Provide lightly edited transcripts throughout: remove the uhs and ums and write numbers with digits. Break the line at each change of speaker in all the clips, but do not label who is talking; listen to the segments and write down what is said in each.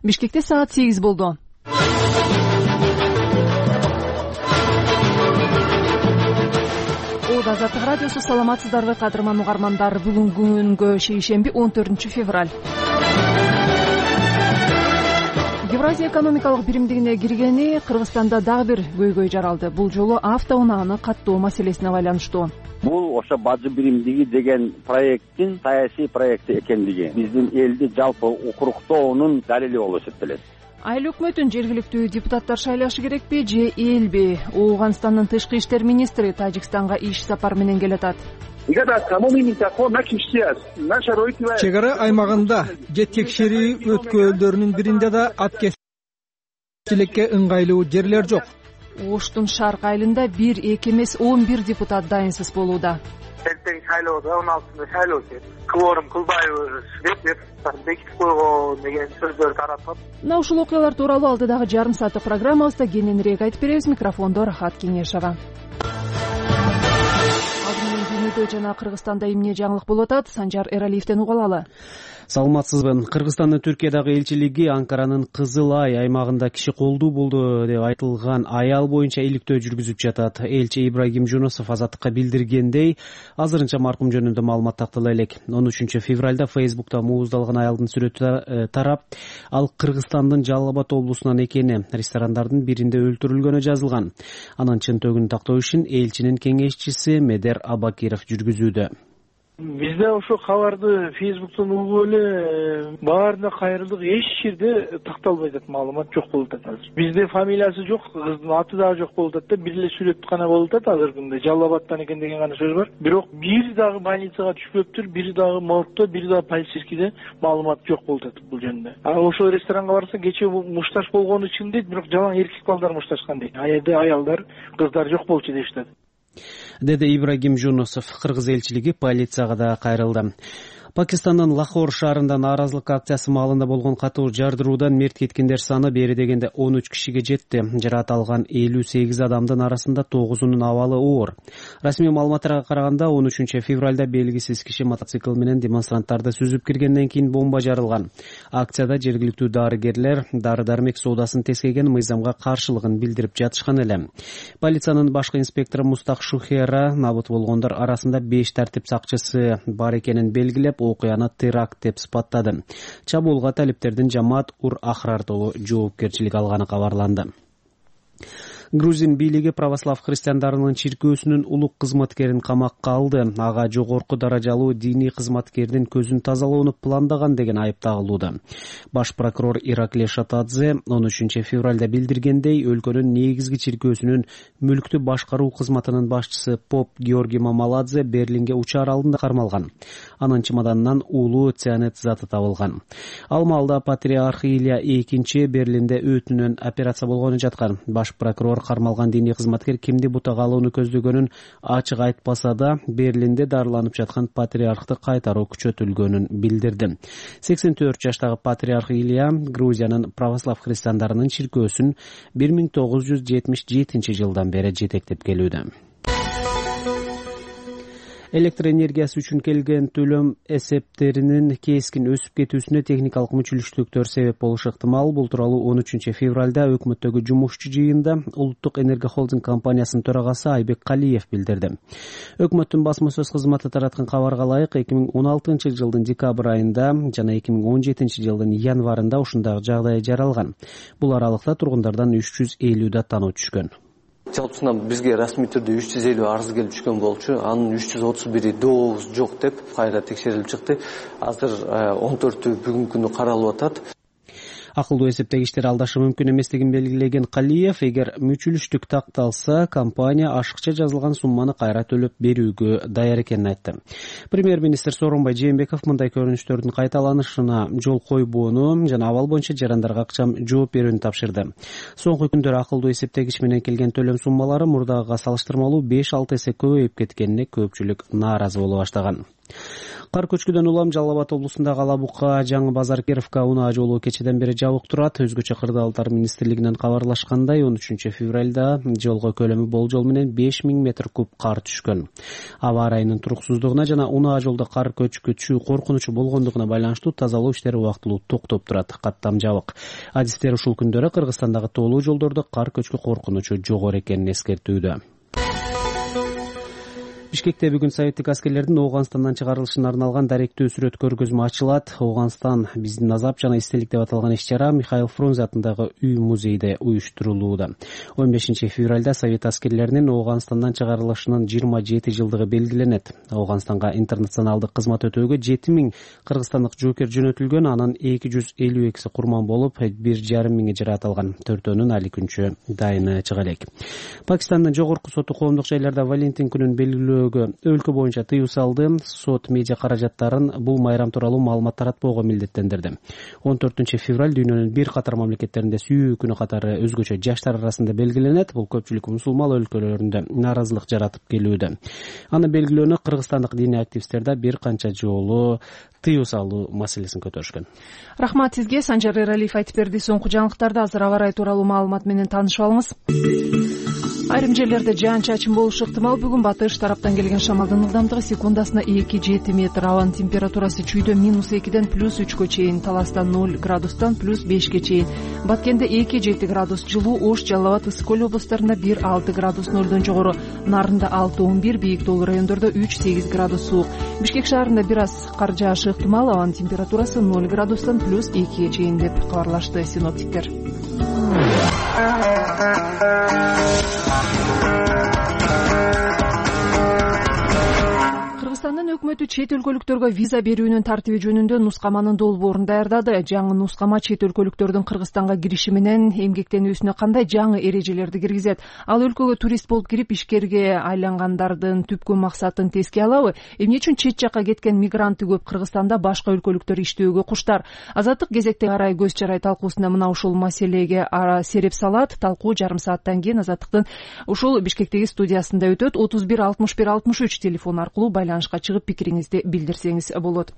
Бишкекте саат 8 болду. Азаттык радиосу, саламатсыздарбы кадырман угармандар? Бүгүн күнгө шейшемби 14 февраль. Евразия экономикалык биримдигине киргени Кыргызстанда дагы бир көйгөй жаралды. Бул жолу автоунааны каттоо маселесине байланыштуу.
Бул ошо бажы биримдиги деген проекттин саясий проекти экендиги биздин элди жалпы укуруктоонун далили болуп эсептелет.
Айыл өкмөтүн жергиликтүү депутаттар шайлашы керекпи же элби? Ооганстандын тышкы иштер министри Тажикстанга иш сапар менен келатат.
Чек ара аймагында же текшерүү өткөлдөрүнүн биринде да аткезчиликке ыңгайлуу жерлер жок.
Оштун шарк айылында 1-2 эмес 11 депутат дайынсыз болууда.
Эртең шайлоодо 16-ында шайлоо өтөт. Кворум кылбайбыз деп бекитип койгон деген сөздөр таратат.
Мына ушул окуялар тууралуу алдыдагы жарым сааттык программабызда кененирээк айтып беребиз. Микрофондо Рахат Кеңешова. Алдымен дүйнөдө жана Кыргызстанда эмне жаңылык болуп атат? Санжар Эралиевден угулалы.
Саламатсызбы. Кыргызстандын Түркиядагы элчилиги Анкаранын Кызыл Ай аймагында киши колдуу болду деп айтылган аял боюнча иликтөө жүргүзүп жатат. Элчи Ибрагим Жунусов Азаттыкка билдиргендей, азырынча маркум жөнүндө маалымат тактала элек. 13 февралда Фейсбукта мууздалган аялдын сүрөтү тарап, ал Кыргызстандын Жалал Абад облусунан экени, ресторандардын биринде өлтүрүлгөнү жазылган. Анын чынтөгүн тактоо ишин элчинин кеңешчиси Медер Абакиров жүргүзүүдө.
Бизде ошо кабарды Фейсбуктан угуп эле баарына кайрылдык, эч жерде такталбай атат, маалымат жок болуп атат азыр. Бизде фамилиясы жок, кыздын аты дагы жок болуп атат да, бир эле сүрөт гана болуп атат азыр күндө. Жалал Абадтан экен деген гана сөз бар. Бирок бир дагы больницага түшпөптүр, бир дагы моргто, бир дагы полицейскийде маалымат жок болуп атат бул жөнүндө. Ошол ресторанга барса кечээ мушташ болгону үчүн дейт, бирок жалаң эркек балдар мушташкан дейт. Аялда аялдар, кыздар жок болчу деп атат.
Деди Ибрагим Жунусов. Кыргыз элчилиги полицияга да кайрылды. Пакистандын Лахор шаарында нааразылык акциясы маалында болгон катуу жардыруудан мерт кеткендер саны бери дегенде 13 кишиге жетти. Жараат алган 58 адамдын арасында 9-унун абалы оор. Расмий маалыматтарга караганда 13 февралда белгисиз киши мотоцикл менен демонстранттарды сүзүп киргенден кийин бомба жарылган. Акцияда жергиликтүү дарыгерлер дары-дармек соодасын тескеген мыйзамга каршылыгын билдирип жатышкан эле. Полициянын башкы инспектору Мустак Шухера набыт болгондор арасында 5 тартип сакчысы бар экенин белгилеп, окуяны теракт деп сыпаттады. Чабуулга талиптердин Жамаат ур Ахрар тобу жоопкерчилик алганы кабарланды. Грузин бийлиги православ христиандарынын чиркөөсүнүн улук кызматкерин камакка алды. Ага жогорку даражалуу диний кызматкердин көзүн тазалоону пландаган деген айып тагылууда. Баш прокурор Ираклий Шатадзе 13 февралда билдиргендей, өлкөнүн негизги чиркөөсүнүн мүлктү башкаруу кызматынын башчысы поп Георгий Мамаладзе Берлинге учаар алдында кармалган. Анын чемоданынан уулуу цианид заты табылган. Ал маалда патриарх Илья II Берлинде өтүнөн операция болгону жаткан. Баш прокурор кармалган диний кызматкер кимди бутага алууну көздөгөнүн ачык айтпаса да, Берлинде дарыланып жаткан патриархты кайтаруу күчөтүлгөнүн билдирди. 84 жаштагы патриарх Илья Грузиянын православ христиандарынын чиркөөсүн 1977 жылдан бери жетектеп келүүдө. Электр энергиясы үчүн келген төлөм эсептеринин кескин өсүп кетүүсүнө техникалык мүчүлүштүктөр себеп болушу ыктымал. Бул тууралуу 13 февралда өкмөттөгү жумушчу жыйында Улуттук энергия холдинг компаниясынын төрагасы Айбек Калиев билдирди. Өкмөттүн басма сөз кызматы тараткан кабарга ылайык 2016 жылдын декабрь айында жана 2017 жылдын январында ушундагы жагдай жаралган. Бул аралыкта тургундардан 350 даттануу түшкөн.
Жалпысынан бизге расмий түрдө 350 арыз келип түшкөн болчу. Анын 331 дообуз жок деп кайра текшерилип чыкты. Азыр 14-ü бүгүнкү күнү каралып атат.
Акылдуу эсептегичтер алдашы мүмкүн эместигин белгилеген Калиев, эгер мүчүлүштүк такталса, компания ашыкча жазылган сумманы кайра төлөп берүүгө даяр экенин айтты. Премьер-министр Сооронбай Жээнбеков мындай көрүнүштөрдүн кайталанышына жол койбоону жана абал боюнча жарандарга акчам жооп берүүнү тапшырды. Соңку күндөр акылдуу эсептегич менен келген төлөм суммалары мурдагыга салыштырмалуу 5-6 эсе көбөйүп кеткенине көпчүлүк нааразы боло баштаган. Кар көчкүдөн улам Жалал Абад облусундагы Ала Бука, Жаңы Базар, Кировка унаа жолу кечеден бери жабык турат. Өзгөчө кырдаалдар министрлигинен кабарлашкандай 13 февралда жолго көлөмү болжол менен 5000 метр куб кар түшкөн. Аба ырайынын туруксуздугуна жана унаа жолдо кар көчкүчү коркунучу болгондугуна байланыштуу тазалоо иштери убактылуу токтоп турат. Каттам жабык. Адистер ушул күндөрү Кыргызстандагы тоолуу жолдордо кар көчкү коркунучу жогору экенин эскертүүдө. Бишкекте бүгүн советтик аскерлердин Ооганстандан чыгарылышына арналган даректүү сүрөт көргөзмө ачылат. Ооганстан биздин азап жана эстелик деп аталган иш-чара Михаил Фрунзе атындагы үй музейде уюштурулууда. 15 февралда совет аскерлеринин Ооганстандан чыгарылышынын 27 жылдыгы белгиленет. Ооганстанга интернационалдык кызмат өтөөгө 7000 кыргызстандык жоокер жөнөтүлгөн, анын 252 курман болуп, 1500 жараат алган. Төртөөнүн али күнчө дайыны чыга элек. Пакистандын жогорку соту коомдук жайларда Валентин күнүн белгилөө өлкө боюнча тыюу салды. Сот медиа каражаттарын бул майрам тууралуу маалымат таратпоого милдеттендирди. 14 февраль дүйнөнүн бир катар мамлекеттеринде сүйүү күнү катары өзгөчө жаштар арасында белгиленет. Бул көпчүлүк мусулман өлкөлөрүндө нааразылык жаратып келүүдө. Аны белгилөөнү кыргызстандык диний активисттер да бир канча жолу тыюу салуу маселесин көтөрүшкөн.
Рахмат сизге. Санжар Эралиев айтып берди. Соңку жаңылыктарды азыр аба ырайы тууралуу маалымат менен таанышып алыңыз. Айрым жерлерде жаан-чачын болушу ыктымал. Бүгүн батыш тараптан келген шамалдын ылдамдыгы секундасына 2-7 метр. Абанын температурасы чүйдө -2ден +3 чейин, Таластан 0 градустан +5 чейин, Баткенде 2-7 градус жылуу, Ош, Жалал Абад, Ысык Көл облустарында 1-6 градус нөлдөн жогору, Нарында 6-11, Бийик Тоолуу райондордо 3-8 градус суук. Бишкек шаарында бир аз кар жаашы ыктымал. Абанын температурасы 0 градустан +2 чейин деп кабарлашты синоптиктер. Кыргызстандын өкмөтү чет өлкөлүктөргө виза берүүнүн тартиби жөнүндө нускаманын долбоорун даярдады. Жаңы нускама чет өлкөлүктөрдүн Кыргызстанга кириши менен эмгектенүүсүнө кандай жаңы эрежелерди киргизет? Ал өлкөгө турист болуп кирип ишкерге айлангандардын түпкү максатын теске алабы? Эмне үчүн чет жакка кеткен мигранты көп Кыргызстанда башка өлкөлүктөр иштөөгө куштар? Азаттык кезекте арай көз чарай талкуусунда мына ушул маселеге сереп салат. Талкуу жарым сааттан кийин Азаттыктын ушул Бишкектеги студиясында өтөт. 31 61 63 телефон аркылуу байланышка чыгып пикириңизди билдирсеңиз болот.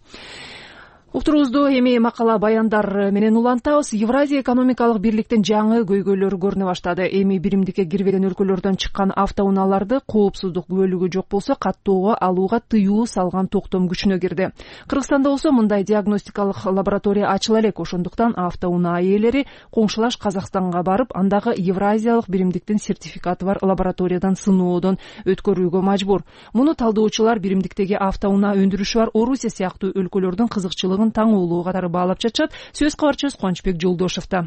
Уктуруубузду эми макала баяндар менен улантабыз. Евразия экономикалык бирликтин жаңы көйгөйлөрү көрүнө баштады. Эми биримдикке кирбеген өлкөлөрдөн чыккан автоунааларды коопсуздук күбөлүгү жок болсо каттоого алууга тыюу салган токтом күчүнө кирди. Кыргызстанда болсо мындай диагностикалык лаборатория ачыла элек. Ошондуктан автоунаа ээлери коңшулаш Казакстанга барып, андагы Евразиялык биримдиктин сертификаты бар лабораториядан сыноодон өткөрүүгө мажбур. Муну талдоочулар биримдиктеги автоунаа өндүрүшү бар Орусия сыяктуу өлкөлөрдүн кызыкчылыгын таң улуу катары баалап жатышат. Сөз кабарчыбыз Кубанычбек Жолдошовдо.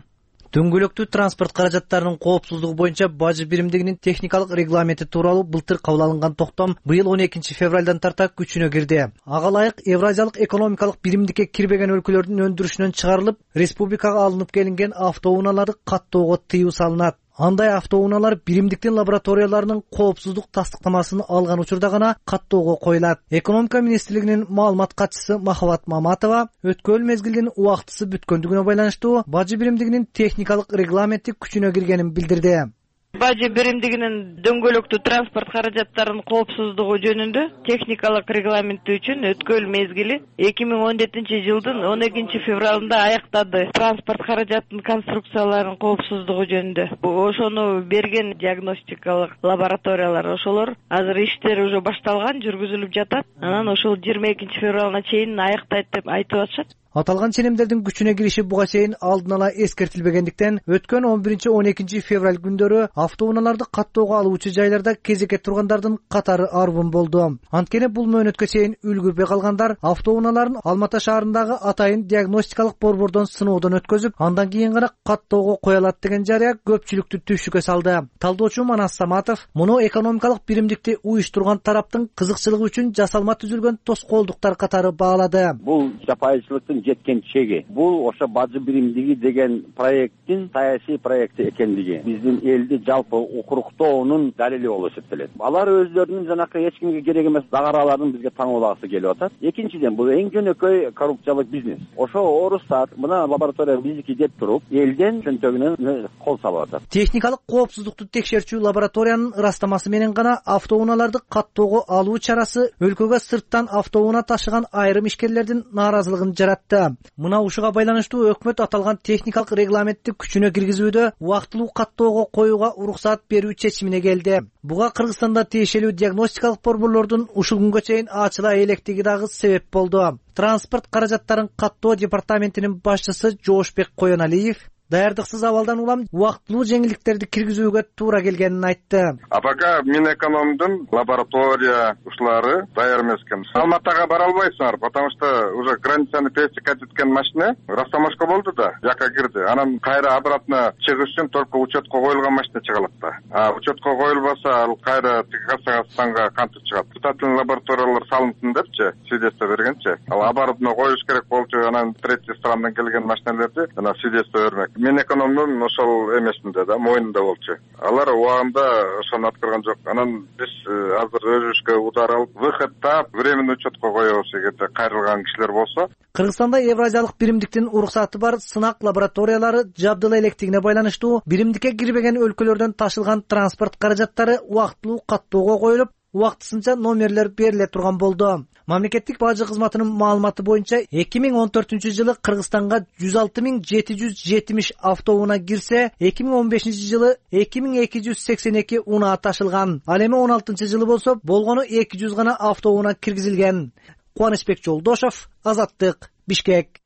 Дөңгөлөктүү транспорт каражаттарынын коопсуздугу боюнча бажы биримдигинин техникалык регламенти тууралуу былтыр кабыл алынган токтом быйыл 12 февралдан тарта күчүнө кирди. Ага ылайык Евразиялык экономикалык биримдикке кирбеген өлкөлөрдүн өндүрүшүнөн чыгарылып, республикага алынып келинген автоунааларды каттоого тыюу салынат. Андай автоунаалар биримдиктин лабораторияларынын коопсуздук тастыктамасын алган учурда гана каттоого коюлат. Экономика министрлигинин маалымат катчысы Махабат Маматова өткөн мезгилдин убактысы бүткөндүгүнө байланыштуу бажы биримдигинин техникалык регламенти күчүнө киргенин билдирди.
Бажы биримдигинин дөңгөлөктүү транспорт каражаттарынын коопсуздугу жөнүндө техникалык регламенти үчүн өткөн мезгили 2017 жылдын 12 февралында аяктады. Транспорт каражатынын конструкцияларынын коопсуздугу жөнүндө ошону берген диагностикалык лабораториялар ошолор азыр иштери уже башталган, жүргүзүлүп жатат. Анан ошол 22 февралына чейин аяктайт деп айтып атышат.
Аталган ченемдердин күчүнө кириши буга чейин алдын ала эскертилбегендиктен өткөн 11-12 февраль күндөрү автоунааларды каттоого алуучу жайларда кезекке тургандардын катары арбын болду. Анткени бул мөөнөткө чейин үлгүрбөй калгандар автоунааларын Алматы шаарындагы атайын диагностикалык борбордон сыноодон өткөзүп, андан кийин гана каттоого кое алат деген жарыя көпчүлүктү түшүккө салды. Талдоочу Манас Саматов муну экономикалык биримдикти уюштурган тараптын кызыкчылыгы үчүн жасалма түзүлгөн тоскоолдуктар катары баалады.
Бул жапайычылыктын жеткен чеги. Бул ошо бажы биримдиги деген проекттин саясий проекти экендиги. Биздин элди жалпы укуруктоонун далили болуп эсептелет. Алар өздөрүнүн жанакы эч кимге керек эмес дагараларын бизге таңуулагысы келип атат. Экинчиден, бул эң жөнөкөй коррупциялык бизнес. Ошо орустар мына лаборатория биздики деп туруп, элден чөнтөгүнө кол салып атат.
Техникалык коопсуздукту текшерчү лабораториянын ырастамасы менен гана автоунааларды каттоого алуу чарасы өлкөгө сырттан автоунаа ташыган айрым ишкерлердин нааразылыгын жаратты. Мына ушуга байланыштуу өкмөт аталган техникалык регламентти күчүнө киргизүүдө убактылуу каттоого коюуга уруксаат берүү чечимине келди. Буга Кыргызстанда тиешелүү диагностикалык борборлордун ушул күнгө чейин ачыла электиги дагы себеп болду. Транспорт каражаттарын каттоо департаментинин башчысы Жоошбек Коеналиев даярдыксыз абалдан улам убактылуу жеңилдиктерди киргизүүгө туура келгенин айтты.
А пока Минэкономдун лаборатория ушулары даяр эмес экен. Алматыга бара албайсыңар, потому что уже границаны пересекать эткен машина растаможка болду да, жака кирди. Анан кайра обратно чыгыш үчүн только учетко коюлган машина чыгалат да. А учетко коюлбаса, ал кайра Кыргызстанга кантип чыгат? Испытательный лабораториялар салынсын депчи, свидетельство бергенчи. Ал оборотно коюш керек болчу, анан третий страндан келген машиналерди жана свидетельство бермек. Минэкономдун ошол эмесинде да, моюнунда болчу. Алар убагында ошону аткарган жок. Анан биз азыр өзүбүзгө удар алып, выход таап, временный учетко коебуз эгерде кайрылган кишилер болсо.
Кыргызстанда Евразиялык биримдиктин уруксаты бар сынак лабораториялары жабдыла электигине байланыштуу биримдикке кирбеген өлкөлөрдөн ташылган транспорт каражаттары убактылуу каттоого коюлуп, убактысынча номерлер бериле турган болду. Мамлекеттик бажы кызматынын маалыматы боюнча 2014-жылы Кыргызстанга 106.770 автоунаа кирсе, 2015-жылы 2282 унаа ташылган. Ал эми 16-жылы болсо болгону 200 гана автоунаа киргизилген. Кубанычбек Жолдошов, Азаттык, Бишкек.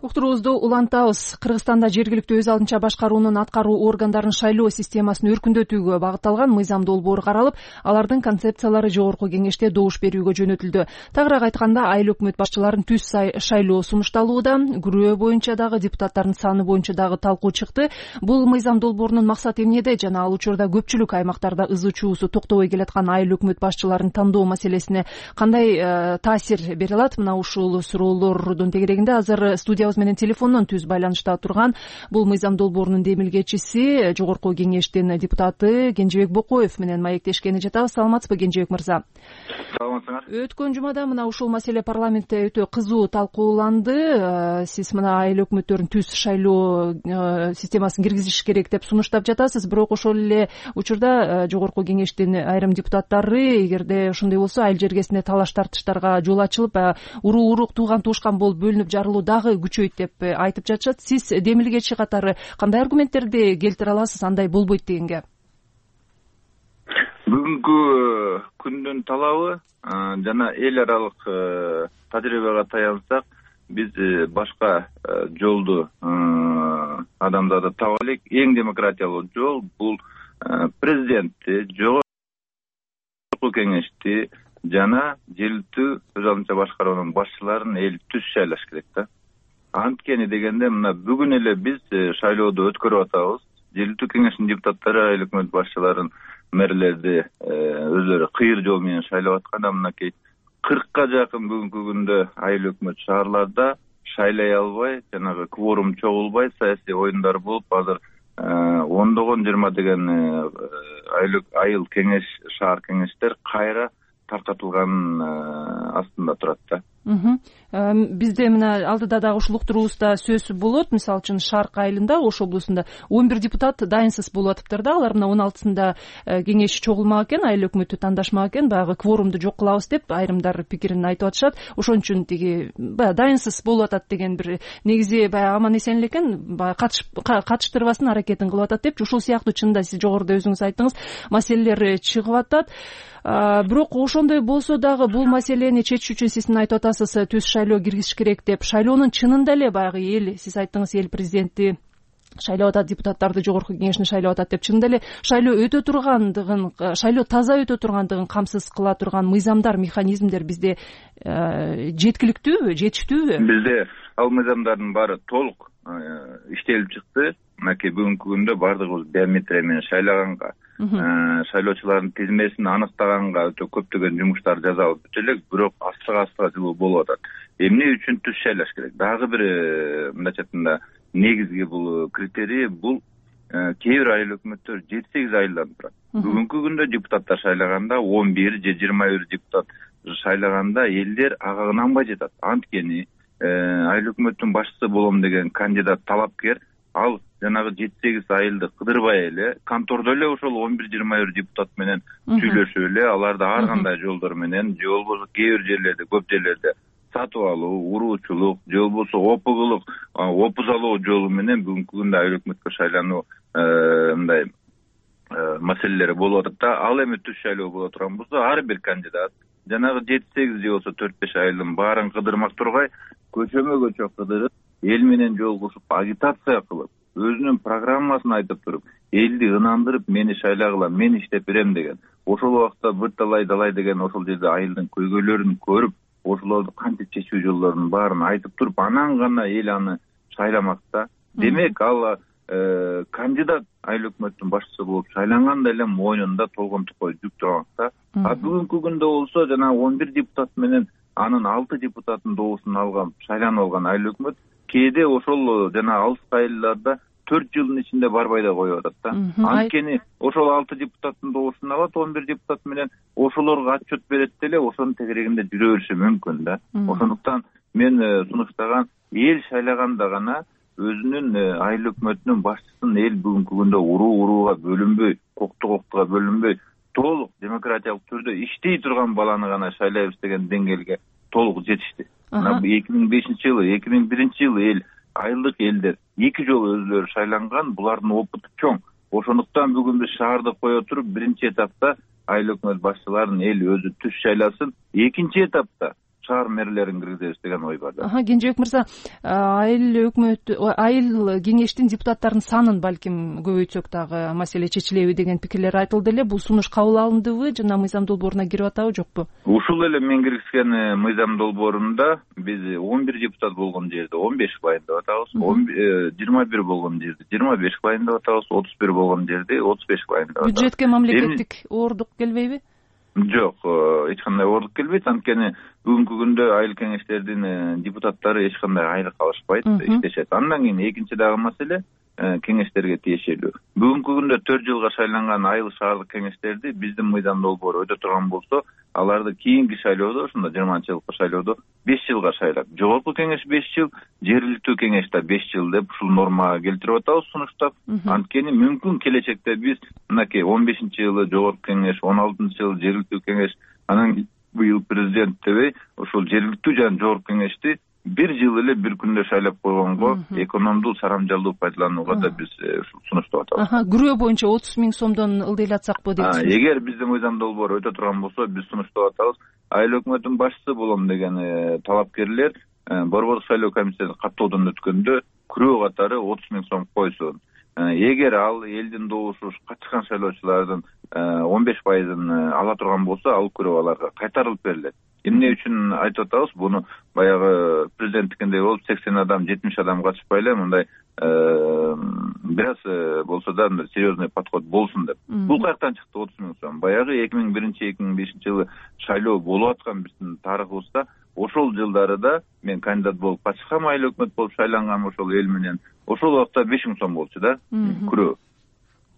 Уктуруубузду улантабыз. Кыргызстанда жергиликтүү өз алдынча башкаруунун аткаруу органдарын шайлоо системасын өркүндөтүүгө багытталган мыйзам долбоор каралып, алардын концепциялары жогорку кеңеште добуш берүүгө жөнөтүлдү. Тагыраак айтканда, айыл өкмөт башчыларын түз шайлоо сунушталууда, күрөө боюнча дагы депутаттардын саны боюнча дагы талкуу чыкты. Бул мыйзам долбоорунун максаты эмнеде жана ал учурда көпчүлүк аймактарда ызы чуусу токтобой келаткан айыл өкмөт башчыларын тандоо маселесине кандай таасир бере алат? Мына ушул суроолордун тегерегинде азыр студия менен телефондон түз байланышта турган бул мыйзам долбоорунун демилгечиси, жогорку кеңештин депутаты Кенжебек Бокоев менен маектешкени жатабыз. Саламатсызбы, Кенжебек мырза?
Саламатсыңар.
Өткөн жумада мына ушул маселе парламентте өтө кызуу талкууланды. Сиз мына айыл өкмөттөрүн түз шайлоо системасын киргизиш керек деп сунуштап жатасыз, бирок ошол эле учурда жогорку кеңештин айрым депутаттары эгерде ошондой болсо айыл жергесинде талаш тартыштарга жол ачылып, уруу-урук, тууган туушкан болуп бөлүнүп жарылуу дагы күчөйт деп айтып жатышат. Сиз демилгечи катары кандай аргументтерди келтире аласыз андай болбойт дегенге?
Бүгүнкү күндүн талабы жана эл аралык тажрыйбага таянсак, биз башка жолду адамдарды таба элек. Эң демократиялуу жол бул президентти, жогорку кеңешти жана жергиликтүү өз алдынча башкаруунун башчыларын эл түз шайлаш керек да. Анткени дегенде мына бүгүн эле биз шайлоодо өткөрүп атабыз. Жергиликтүү кеңештин депутаттары айыл өкмөт башчыларын, мэрлерди өзлөрү кыйыр жол менен шайлап атканда, мынакей 40ка жакын бүгүнкү күндө айыл өкмөт шаарларда шайлай албай, жанагы кворум чогулбай, саясий оюндар болуп, азыр ондогон 20 деген айыл кеңеш, шаар кеңештер кайра таркатылган астында турат да.
Бизде мына алдыда дагы ушул уктуруубузда сөз болот. Мисалы үчүн Шарк айылында, Ош облусунда 11 депутат дайынсыз болуп атыптыр да. Алар мына 16-сында кеңеш чогулмак экен, айыл өкмөтү тандашмак экен, баягы кворумду жок кылабыз деп айрымдар пикирин айтып атышат. Ошон үчүн тиги баягы дайынсыз болуп атат деген бир негизи баягы аман эсен элекен, баягы катыштырбасын аракетин кылып атат деп, ушул сыяктуу чынында сиз жогоруда өзүңүз айттыңыз, маселелер чыгып атат. Бирок ошондой болсо дагы бул маселени чечүү үчүн сиз айтып атасыз, түз шайлоо киргизиш керек деп. Шайлоонун чынында эле баягы эл, сиз айттыңыз, эл президентти шайлап атат, депутаттарды жогорку кеңешин шайлап атат деп, чынында эле шайлоо өтө тургандыгын, шайлоо таза өтө тургандыгын камсыз кыла турган мыйзамдар, механизмдер бизде жеткиликтүүбү, жетиштүүбү?
Бизде ал мыйзамдардын баары толук иштелип чыкты. Мынакей бүгүнкү күндө бардыгыбыз биометрия менен шайлаганга, шайлоочулардын тизмесин аныктаганга өтө көптөгөн жумуштар жасалып бүтө элек, бирок астыга жылуу болуп атат. Эмне үчүн түз шайлаш керек? Дагы бир мындайча айтканда негизги бул критерий бул кээ бир айыл өкмөттөр 7-8 айылдан турат. Бүгүнкү күндө депутаттар шайлаганда 11 же 21 депутат шайлаганда элдер ага ынанбай жатат. Анткени айыл өкмөттүн башчысы болом деген кандидат талапкер ал жанагы 7-8 айылды кыдырбай эле контордо эле ошол 11-21 депутат менен сүйлөшүп эле аларды ар кандай жолдор менен же болбосо кээ бир жерлерде көп жерлерде сатып алуу, уруучулук же болбосо опугулук, опуз алуу жолу менен бүгүнкү күндө айыл өкмөткө шайлануу мындай маселелери болуп атат да. Ал эми түз шайлоо боло турган болсо ар бир кандидат жанагы 7-8 же болсо 4-5 айылдын баарын кыдырмак тургай көчөмө көчө кыдырып эл менен жолугушуп агитация кылып өзүнүн программасын айтып туруп элди ынандырып мени шайлагыла, мен иштеп берем деген ошол убакта бир талай деген ошол жерде айылдын көйгөйлөрүн көрүп ошолорду кантип чечүү жолдорунун баарын айтып туруп анан гана эл аны шайламак да. Демек ал кандидат айыл өкмөттүн башчысы болуп шайланганда эле мойнунда толгон тукой жүк турмак да. А бүгүнкү күндө болсо жана 11 депутат менен анын 6 депутаттын доосун алган, шайланып алган айыл өкмөт кээде ошол жана алыс айылдарда 4 жылдын ичинде барбай да коюп атат да. Анткени ошол 6 депутаттын доосун алат, 11 депутат менен ошолорго отчет берет деле ошонун тегерегинде жүрө бериши мүмкүн да. Ошондуктан мен сунуштаган эл шайлаганда гана өзүнүн айыл өкмөтүнүн башчысын эл бүгүнкү күндө урууга бөлүнбөй, коктуга бөлүнбөй, толук демократиялык түрдө иштей турган баланы гана шайлайбыз деген деңгээлге толук жетишти. 2005-жылы, 2001-жылы эл айылдык элдер 2 жолу өзүлөрү шайланган, булардын опыту чоң. Ошондуктан бүгүн биз шаарды кое туруп, биринчи этапта айыл өкмөт башчыларын эл өзү түз шайласын, экинчи этапта шаар мэрлерин киргизебиз деген ой бар да.
Кенжебек мырза, айыл кеңештин депутаттарынын санын балким көбөйтсөк дагы маселе чечилеби деген пикирлер айтылды эле. Бул сунуш кабыл алындыбы жана мыйзам долбооруна кирип атабы, жокпу?
Ушул эле мен киргизген мыйзам долбоорунда биз 11 депутат болгон жерде 15 байын деп атабыз, 21 болгон жерде 25 байын деп атабыз, 31 болгон жерде 35 байын деп атабыз.
Бюджетке мамлекеттик оордук келбейби?
Жок, эч кандай оордук келбейт. Анткени бүгүнкү күндө айыл кеңештердин депутаттары эч кандай айлык алышпайт, иштешет. Андан кийин экинчи дагы маселе кеңештерге тиешелүү. Бүгүнкү күндө 4 жылга шайланган айыл шаардык кеңештерди биздин мыйзам долбоору өтө турган болсо, аларды кийинки шайлоодо, ошондо 20-жылкы шайлоодо 5 жылга шайлап, жогорку кеңеш 5 жыл, жергиликтүү кеңеш да 5 жыл деп ушул норма келтирип атабыз сунуштап. Анткени мүмкүн келечекте биз мынакей 15-жылы жогорку кеңеш, 16-жылы жергиликтүү кеңеш, анан быйыл президент дебей ошол жергиликтүү жана жогорку кеңешти 1 жыл эле бир күндө шайлап койгонго экономдуу, сарамжалдуу пайдаланууга да биз сунуштап атабыз.
Күрөө боюнча 30 000 сомдон ылдыйлатсакпы дейсиз?
Эгер биздин мыйзам долбоору өтө турган болсо, биз сунуштап атабыз. Айыл өкмөтүнүн башчысы болом деген талапкерлер борбордук шайлоо комиссиясынан каттоодон өткөндө күрөө катары 30 000 сом койсун. Эгер ал элдин доосу катышкан шайлоочулардын 15% ала турган болсо, ал күрөө аларга кайтарылып берилет. Эмне үчүн айтып атабыз? Буну баягы президенттикиндей болуп 80 адам, 70 адам катышпай эле мындай бир аз болсо да серьезный подход болсун деп. Бул каяктан чыкты 30 000 сом? Баягы 2001-2005-жылы шайлоо болуп аткан биздин тарыхыбызда ошол жылдарыда мен кандидат болуп катышкам, айыл өкмөт болуп шайлангам ошол эл менен. Ошол убакта 5 000 сом болчу да күрөө.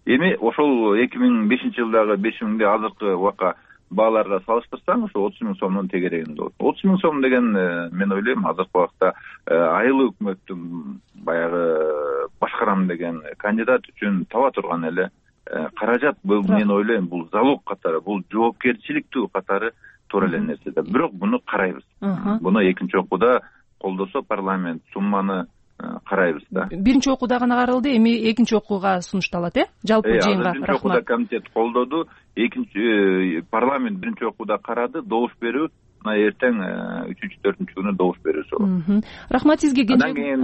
Эми ошол 2005-жылдагы 5 000 азыркы убакка бааларга салыштырсаң, ошо 30 000 сомдун тегерегинде болот. 30 000 сом деген мен ойлойм азыркы убакта айыл өкмөттүн баягы башкарам деген кандидат үчүн таба турган эле каражат. Бул мен ойлойм бул залог катары, бул жоопкерчиликтүү катары туура эле нерсе да. Бирок буну карайбыз. Буну экинчи окууда колдосо парламент сумманы карайбыз да.
Биринчи окууда гана каралды, эми экинчи окууга сунушталат, жалпы жыйынга.
Биринчи окууда комитет колдоду, экинчи парламент биринчи окууда карады, добуш берүү эртең 3-4 күнү добуш берүүсү болот.
Рахмат сизге.
Андан кийин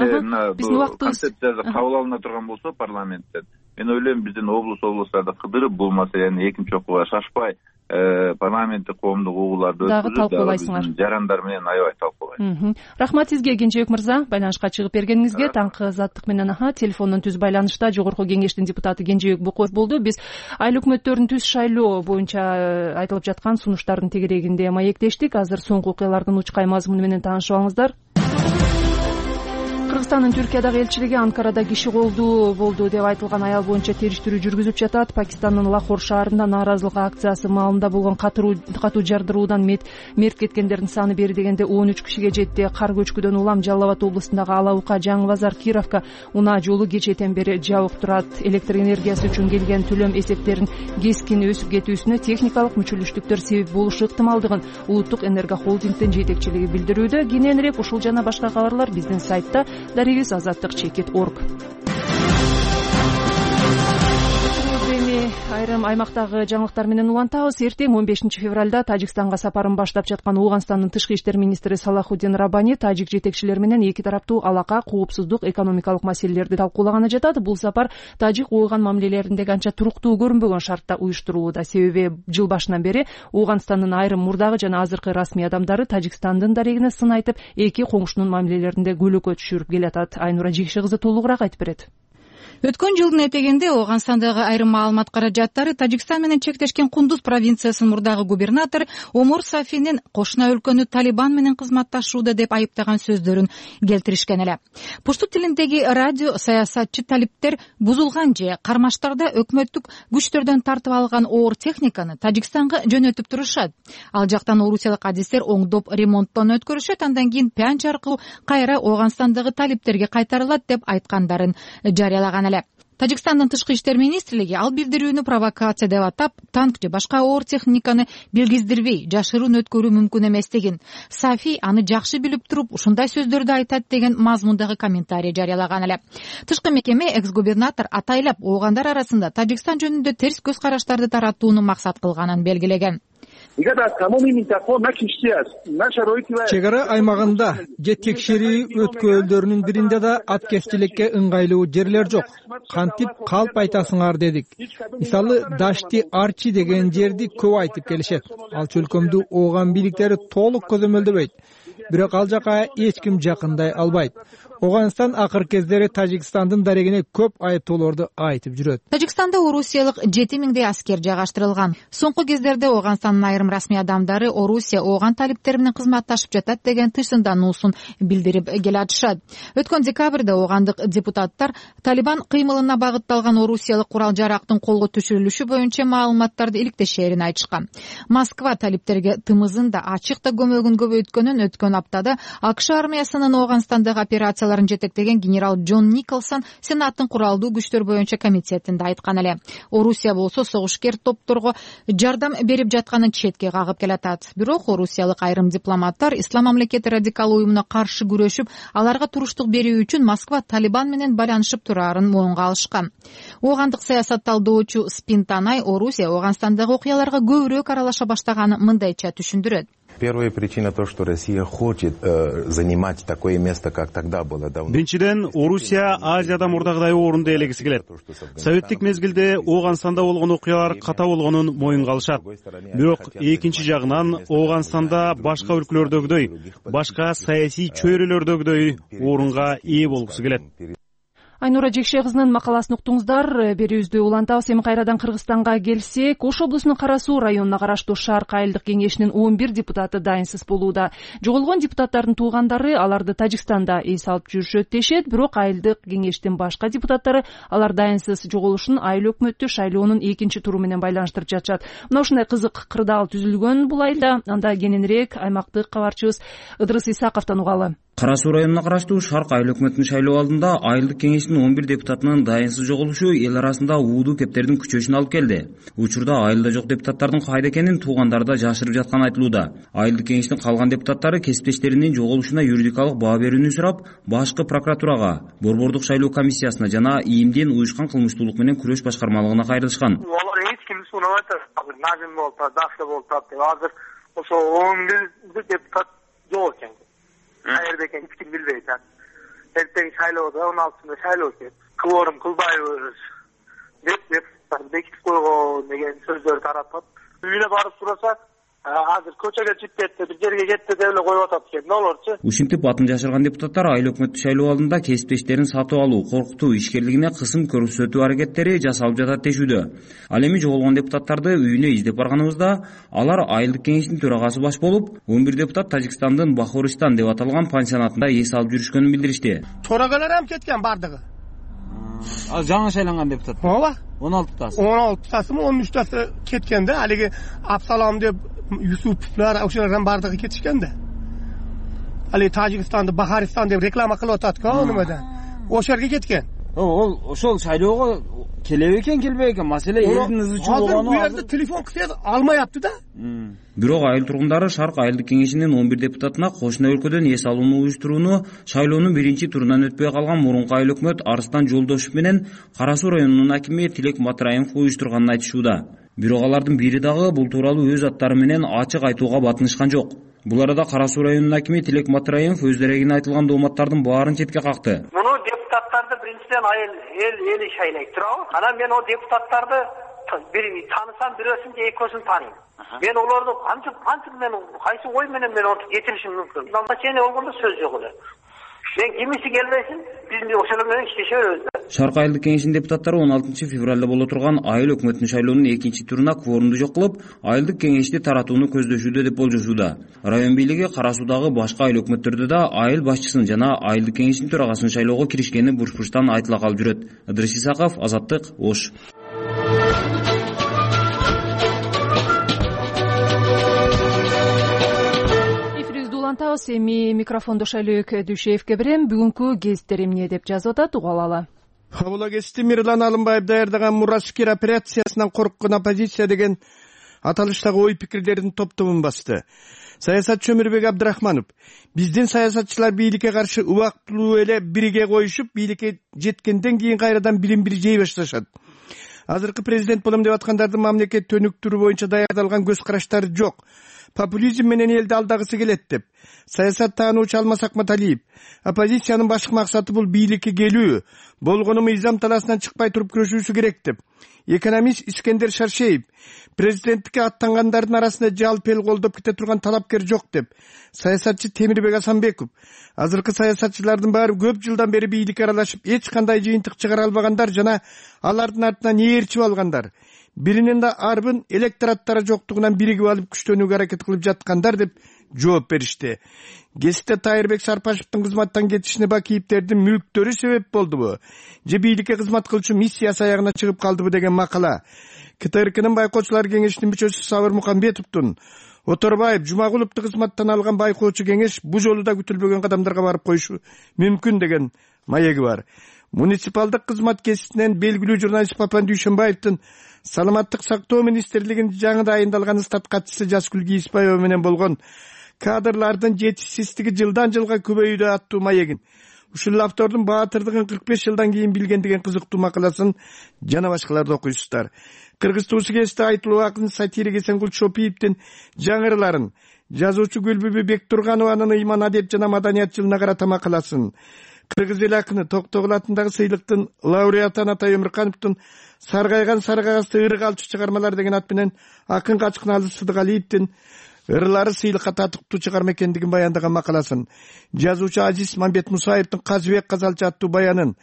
биздин убактыбыз концепциясы кабыл алына турган болсо парламенттен, мен ойлойм биздин облустарда кыдырып бул маселени экинчи окууга шашпай парламенттик коомдук угууларды
дагы талкуулайсыңар.
Жарандар менен аябай талкуулайт.
Рахмат сизге Кенжебек мырза, байланышка чыгып бергениңизге. Таңкы Заттык менен телефондон түз байланышта жогорку кеңештин депутаты Кенжебек Букоев болду. Биз айыл өкмөттөрүн түз шайлоо боюнча айтылып жаткан сунуштардын тегерегинде маектештик. Азыр соңку окуялардын учкай мазмуну менен таанышып алыңыздар. Кыргызстандын Түркиядагы элчилиги Анкарада киши колдуу болду деп айтылган аял боюнча териштирүү жүргүзүп жатат. Пакистандын Лахор шаарында нааразылык акциясы маалында болгон катуу жардыруудан мерт кеткендердин саны бери дегенде 13 кишиге жетти. Кар көчкүдөн улам Жалал Абад облусундагы Ала Ука, Жаңы Базар, Кировка унаа жолу кечээден бери жабык турат. Электр энергиясы үчүн келген төлөм эсептерин кескин өсүп кетүүсүнө техникалык мүчүлүштүктөр себеп болушу ыктымалдыгын Улуттук энерго холдингдин жетекчилиги билдирүүдө. Кененирээк ушул жана башка кабарлар биздин сайтта daribis.azаттык.org. Айрым аймактагы жаңылыктар менен улантабыз. Эртең 15 февралда Тажикстанга сапарын баштап жаткан Ооганстандын тышкы иштер министри Салахуддин Раббани тажик жетекчилери менен эки тараптуу алака, коопсуздук, экономикалык маселелерди талкуулаганы жатат. Бул сапар Тажик-Ооган мамилелериндеги анча туруктуу көрүнбөгөн шартта уюштурулууда. Себеби жыл башынан бери Ооганстандын айрым мурдагы жана азыркы расмий адамдары Тажикстандын дарегине сын айтып, эки коңшунун мамилелеринде көйлөккө түшүрүп келатат. Айнура Жекши кызы толугураак айтып берет.
Өткөн жылдын этегинде Ооганстандагы айрым маалымат каражаттары Тажикстан менен чектешкен Кундуз провинциясынын мурдагы губернатор Омур Сафинин кошуна өлкөнү Талибан менен кызматташууда деп айыптаган сөздөрүн келтиришкен эле. Пушту тилиндеги радио саясатчы талиптер бузулган же кармаштарда өкмөттүк күчтөрдөн тартып алган оор техниканы Тажикстанга жөнөтүп турушат. Ал жактан орусиялык адистер оңдоп ремонттон өткөрүшөт, андан кийин Пянч аркылуу кайра Ооганстандагы талиптерге кайтарылат деп айткандарын жарыялаган. Тажикстандын тышкы иштер министрлиги ал билдирүүнү провокация деп атап, танк же башка оор техниканы билгиздирбей жашыруун өткөрүү мүмкүн эместигин, Сафи аны жакшы билип туруп ушундай сөздөрдү айтат деген мазмундагы комментарий жарыялаган эле. Тышкы мекеме экс-губернатор атайлап оогандар арасында Тажикстан жөнүндө терс көз караштарды таратууну максат кылганын белгилеген.
Чек ара аймагында же текшерүү өткөлдөрүнүн биринде да аткезчиликке ыңгайлуу жерлер жок. Кантип калп айтасыңар дедик. Мисалы Дашти Арчи деген жерди көп айтып келишет. Ал чөлкөмдү Ооган бийликтери толук көзөмөлдөбөйт. Бирок ал жака эч ким жакындай албайт. Ооганстан акыркы кездери Тажикстандын дарегине көп айыптоолорду айтып жүрөт.
Тажикстанда орусиялык 7000 аскер жайгаштырылган. Соңку кездерде Ооганстандын айрым расмий адамдары Орусия Ооган талиптери менен кызматташып жатат деген тынчсыздануусун билдирип келатышат. Өткөн декабрда оогандык депутаттар Талибан кыймылына багытталган орусиялык курал жарактын колго түшүрүлүшү боюнча маалыматтарды иликтешээрин айтышкан. Москва талиптерге тымызын да ачык да көмөгүн көбөйткөнүн өткөн аптада АКШ армиясынын Ооганстандагы операцияларын жетектеген генерал Джон Николсон Сенаттын куралдуу күчтөр боюнча комитетинде айткан эле. Орусия болсо согушкер топторго жардам берип жатканын четке кагып келатат. Бирок орусиялык айрым дипломаттар Ислам мамлекети радикал уюмуна каршы күрөшүп, аларга туруштук берүү үчүн Москва Талибан менен байланышып турарын моюнга алышкан. Оогандык саясат талдоочу Спинтанай Орусия Ооганстандагы окуяларга көбүрөөк аралаша баштаганын мындайча түшүндүрөт.
Первая причина то, что Россия хочет занимать такое место, как тогда было давно.
Биринчиден, Орусия Азияда мурдагыдай орунду ээлегиси келет. Советтик мезгилде Ооганстанда болгон окуялар ката болгонун моюнга алышат. Бирок экинчи жагынан Ооганстанда башка өлкөлөрдөгүдөй, башка саясий чөйрөлөрдөгүдөй орунга ээ болгусу келет.
Айнура Жекше кызынын макаласын уктуңуздар. Берүүбүздү улантабыз. Эми кайрадан Кыргызстанга келсек, Ош облусунун Кара Суу районуна караштуу Шарк айылдык кеңешинин 11 депутаты дайынсыз болууда. Жоголгон депутаттардын туугандары аларды Тажикстанда эс алып жүрүшөт дешет, бирок айылдык кеңештин башка депутаттары алар дайынсыз жоголушун айыл өкмөттү шайлоонун экинчи туру менен байланыштырып жатышат. Мына ушундай кызык кырдаал түзүлгөн бул айылда. Анда кененирээк аймактык кабарчыбыз Ыдырыс Исаковдон угалы.
Кара Суу районуна караштуу Шарк айыл өкмөтүнүн шайлоо алдында айылдык кеңештин 11 депутатынын дайынсыз жоголушу эл арасында уудуу кептердин күчөшүнө алып келди. Учурда айылда жок депутаттардын кайда экенин туугандары да жашырып жатканы айтылууда. Айылдык кеңештин калган депутаттары кесиптештеринин жоголушуна юридикалык баа берүүнү сурап, башкы прокуратурага, борбордук шайлоо комиссиясына жана ИИМдин уюшкан кылмыштуулук менен күрөш башкармалыгына кайрылышкан.
Алар эч кимди суунабай атат. Назим болуп атат, Дафта болуп атат деп. Азыр ошо 11 депутат жок экен. Каерде экен эч ким билбейт. Эртең шайлоодо 16-сында шайлоо өтөт. Кылорум кылбайбыз деп бекитип койгон деген сөздөр таратат. Үйүнө барып сурасак, азыр көчөгө чыгып кетти, бир жерге кетти деп эле коюп атат экен. Олорчу
ушинтип атын жашырган депутаттар айыл өкмөттүк шайлоо алдында кесиптештерин сатып алуу, коркутуу, ишкерлигине кысым көрсөтүү аракеттери жасалып жатат дешүүдө. Ал эми жоголгон депутаттарды үйүнө издеп барганыбызда алар айылдык кеңештин төрагасы баш болуп, 11 депутат Тажикстандын Бахористан деп аталган пансионатында эс алып жүрүшкөнүн билдиришти.
Төрагалар ham кеткен бардыгы.
Ал жаңы шайланган депутат.
Ооба.
16тасы.
16тасымы 13тасы кеткенде, алиги Абсалам деп Юсуповлар ошолордун бардыгы кетишкенде. Али Тажикстанды Бахаристан деп реклама кылып атат-ка, немеде. Ошолорго кеткен.
Ол ошол шайлоого келеби экен, келбей экен, маселе элдин ызычуу болгону.
Бу жерде телефон кылса алмаяпты да.
Бирок айыл тургундары Шарк айылдык кеңешинин 11 депутатына кошуна өлкөдөн эс алууну уюштурууну шайлоонун биринчи турунан өтпөй калган мурунку айыл өкмөт Арыстан Жолдошев менен Кара Суу районунун акими Тилек Матраимов уюштурганын айтышууда. Бирок алардын бири дагы бул тууралуу өз аттары менен ачык айтууга батынышкан жок. Бул арада Кара Суу районунун акими Тилек Матраимов өз дерегине айтылган дооматтардын баарын четке какты.
Муну депутаттарды биринчиден эл шайлайт турабы? Анан мен о депутаттарды танысам, бирөөсүн же экөөсүн тааныйм. Мен олорду кантип мен кайсы ой менен мен ортуп кетиришим мүмкүн. Назначение болгондо сөз жок эле. Мен кимиси келбесин, биз ошолор менен иштешебиз.
Шарк айылдык кеңешинин депутаттары 16 февралда боло турган айыл өкмөтүнүн шайлоонун экинчи туруна кворумду жок кылып, айылдык кеңешти таратууну көздөшүүдө деп болжошууда. Район бийлиги Кара Суудагы башка айыл өкмөттөрдө да айыл башчысын жана айылдык кеңештин төрагасын шайлоого киришкени буш-буштан айтыла калып жүрөт. Ыдырыс Исаков, Азаттык, Ош.
Эми микрофонду Шайлөөк Дүйшеевке берем. Бүгүнкү кесиптер эмне деп жазып атат, угуп алалы.
Бул кесипти Мирлан Алымбаев даярдаган Мураскер операциясынан корккон оппозиция деген аталыштагы ой пикирлердин топтомун басты. Саясатчы Өмүрбек Абдрахманов: биздин саясатчылар бийликке каршы убактылуу эле бирге коюшуп, бийликке жеткенден кийин кайрадан билим-бири жей башташат. Азыркы президент болом деп аткандардын мамлекет төнүктүрү боюнча даярдалган көз караштары жок. Популизм менен элди алдагысы келет деп. Саясат таануучу Алмаз Акматалиев: оппозициянын башкы максаты бул бийликке келүү, болгону мыйзам талаасынан чыкпай туруп күрөшүүсү керек деп. Экономист Искендер Шаршеев: президенттикке аттангандардын арасында жалпы эл колдоп кете турган талапкер жок деп. Саясатчы Темирбек Асанбеков: азыркы саясатчылардын баары көп жылдан бери бийликке аралашып, эч кандай жыйынтык чыгара албагандар жана алардын артынан ээрчип алгандар. Биринин да арбын электораттары жоктугунан биригип алып күчтөнүүгө аракет кылып жаткандар деп жооп беришти. Кесипте Тайырбек Сарпашевдин кызматтан кетишине Бакиевдердин мүлктөрү себеп болдубу же бийликке кызмат кылчу миссиясы аягына чыгып калдыбы деген макала. КТРКнын байкоочулар кеңешинин мүчөсү Сабыр Мукамбетовдун Оторбаев Жумагуловду кызматтан алган байкоочу кеңеш бул жолу да күтүлбөгөн кадамдарга барып коюшу мүмкүн деген маеги бар. Муниципалдык кызмат кесипинен белгилүү журналист Папан Дүйшөнбаевдин Саламаттык сактоо министрлигинин жаңы дайындалган стат катчысы Жаскүл Кийиспаева менен болгон кадрлардын жетишсиздиги жылдан жылга көбөйүүдө аттуу маегин, ушул автордун баатырдыгын 45 жылдан кийин билген деген кызыктуу макаласын жана башкаларды окуйсуздар. Кыргыз туусу кесте айтылуу акын сатирик Эсенгул Чопиевдин жаңырыларын, жазуучу Гүлбүбү Бектурганованын ыйман адеп жана маданият жылына карата макаласын, кыргыз эл акыны Токтогул атындагы сыйлыктын лауреаты Анатай Өмүркановдун Саргайган саргагасты ырык алчу чыгармалар деген ат менен акын Качкыналы Сыдыгалиевдин ырлары сыйлыкка татыктуу чыгарма экендигин баяндаган макаласын, жазуучу Азиз Мамбет Мусаевдин Казыбек Казалчы аттуу баянын,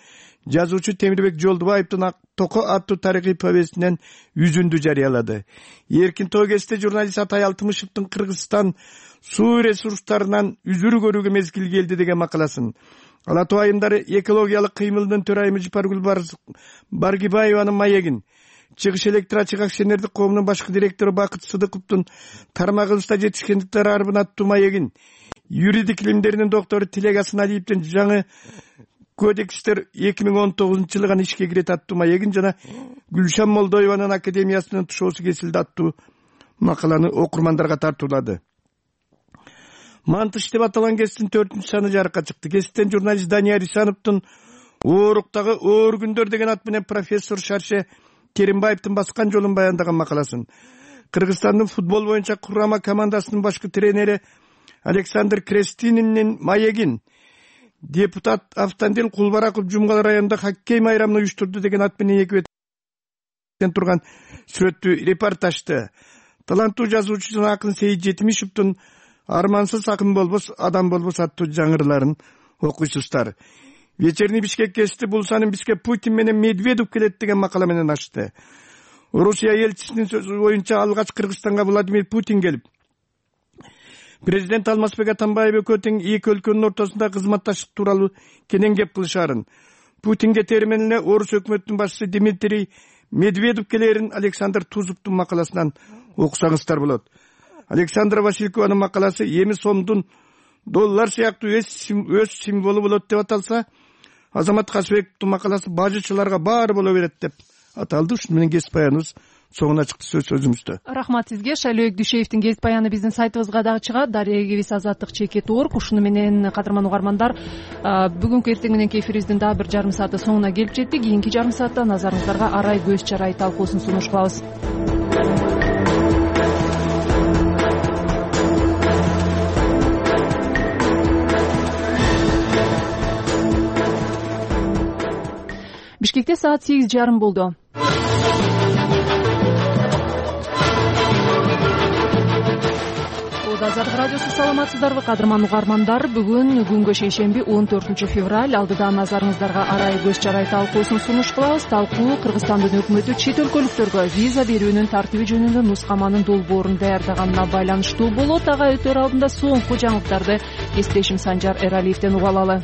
жазуучу Темирбек Жолдубаевдин Токо аттуу тарыхый повестинен үзүндү жарыялады. Эркин Тогесте журналист Атай Алтымышевдин Кыргызстан суу ресурстарынан үзүр көрүүгө мезгил келди деген макаласын, Ала Тоо айымдары экологиялык кыймылдын төрайымы Жипаргүл Баргибаеванын маегин, Чыгыш электроачык акционердик коомунун башкы директору Бакыт Сыдыковдун тармагыбызда жетишкендиктер арбын аттуу маегин, юридик илимдеринин доктору Тилек Асыналиевдин жаңы кодекстер 2019-жылы ишке кирет аттуу маегин жана Гүлшан Молдоеванын академиясынын тушоосу кесилди аттуу макаланы окурмандарга тартуулады. Мантыш деп аталган кесиптин 4-саны жарыкка чыкты. Кесиптен журналист Данияр Исановдун Ооруктагы оор күндөр деген ат менен профессор Шарше Керимбаевдин баскан жолун баяндаган макаласын, Кыргызстандын футбол боюнча курама командасынын башкы тренери Александр Крестининин маегин, депутат Автандил Кулбараков Жумгал районунда хоккей майрамын уюштурду деген ат менен эки беттен турган сүрөттүү репортажды таланттуу жазуучу жана акын Сейит Жетимишевдин "Армансыз акын болбос, адам болбос" аттуу жаңырларын окуйсуздар. Вечерний Бишкек гезити бул санын бизге Путин менен Медведев келет деген макала менен ачты. Орусия элчисинин сөзү боюнча алгач Кыргызстанга Владимир Путин келип, президент Алмазбек Атамбаев экөө тең эки өлкөнүн ортосунда кызматташтык тууралуу кенен кеп кылышаарын, Путинге термен эле орус өкмөтүнүн башчысы Дмитрий Медведев келерин Александр Тузовдун макаласынан окусаңыздар болот. Александра Василькованын макаласы эми сомдун доллар сыяктуу өз символу болот деп аталса, Азамат Касыбековдун макаласы бажычыларга баары боло берет деп аталды. Ушуну менен гезит баяныбыз соңуна чыкты сөзүбүздө.
Рахмат сизге. Шайлообек Дүйшеевдин гезит баяны биздин сайтыбызга дагы чыгат. Дарыя Эгебис Азаттык.org. Ушуну менен кадырман угармандар, бүгүнкү эртең мененки эфирибиздин дагы бир жарым сааты соңуна келип жеттик. Кийинки жарым саатта назарыңыздарга арай көз чарай талкуусун сунуш кылабыз. Бишкекте саат 8:30 болду. Азаттык радиосу, саламатсыздарбы кадырман угармандар? Бүгүн күнгө шейшемби 14 февраль. Алдыда назарыңыздарга арай көз чарай талкуусун сунуш кылабыз. Талкуу Кыргызстандын өкмөтү чет өлкөлүктөргө виза берүүнүн тартиби жөнүндө нускаманын долбоорун даярдаганына байланыштуу болот. Ага өтөр алдында соңку жаңылыктарды кесиптешим Санжар Эралиевден угуп алалы.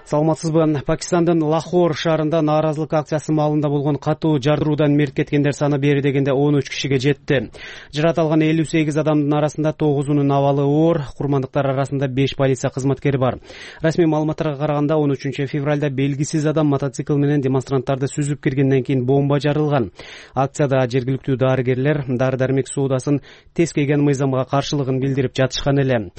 Саламатсызбы? Пакистандын Лахор шаарында нааразылык акциясы маалында болгон катуу жардыруудан мерт кеткендер саны бери дегенде 13 кишиге жетти. Жаратылган 58 адамдын арасында 9-унун абалы оор, курмандыктар арасында 5 полиция кызматкери бар. Расмий маалыматтарга караганда 13 февралда белгисиз адам мотоцикл менен демонстранттарды сүзүп киргенден кийин бомба жарылган. Акцияда жергиликтүү дарыгерлер дары-дармек соодасын тескейген мыйзамга каршылыгын билдирип жатышкан эле.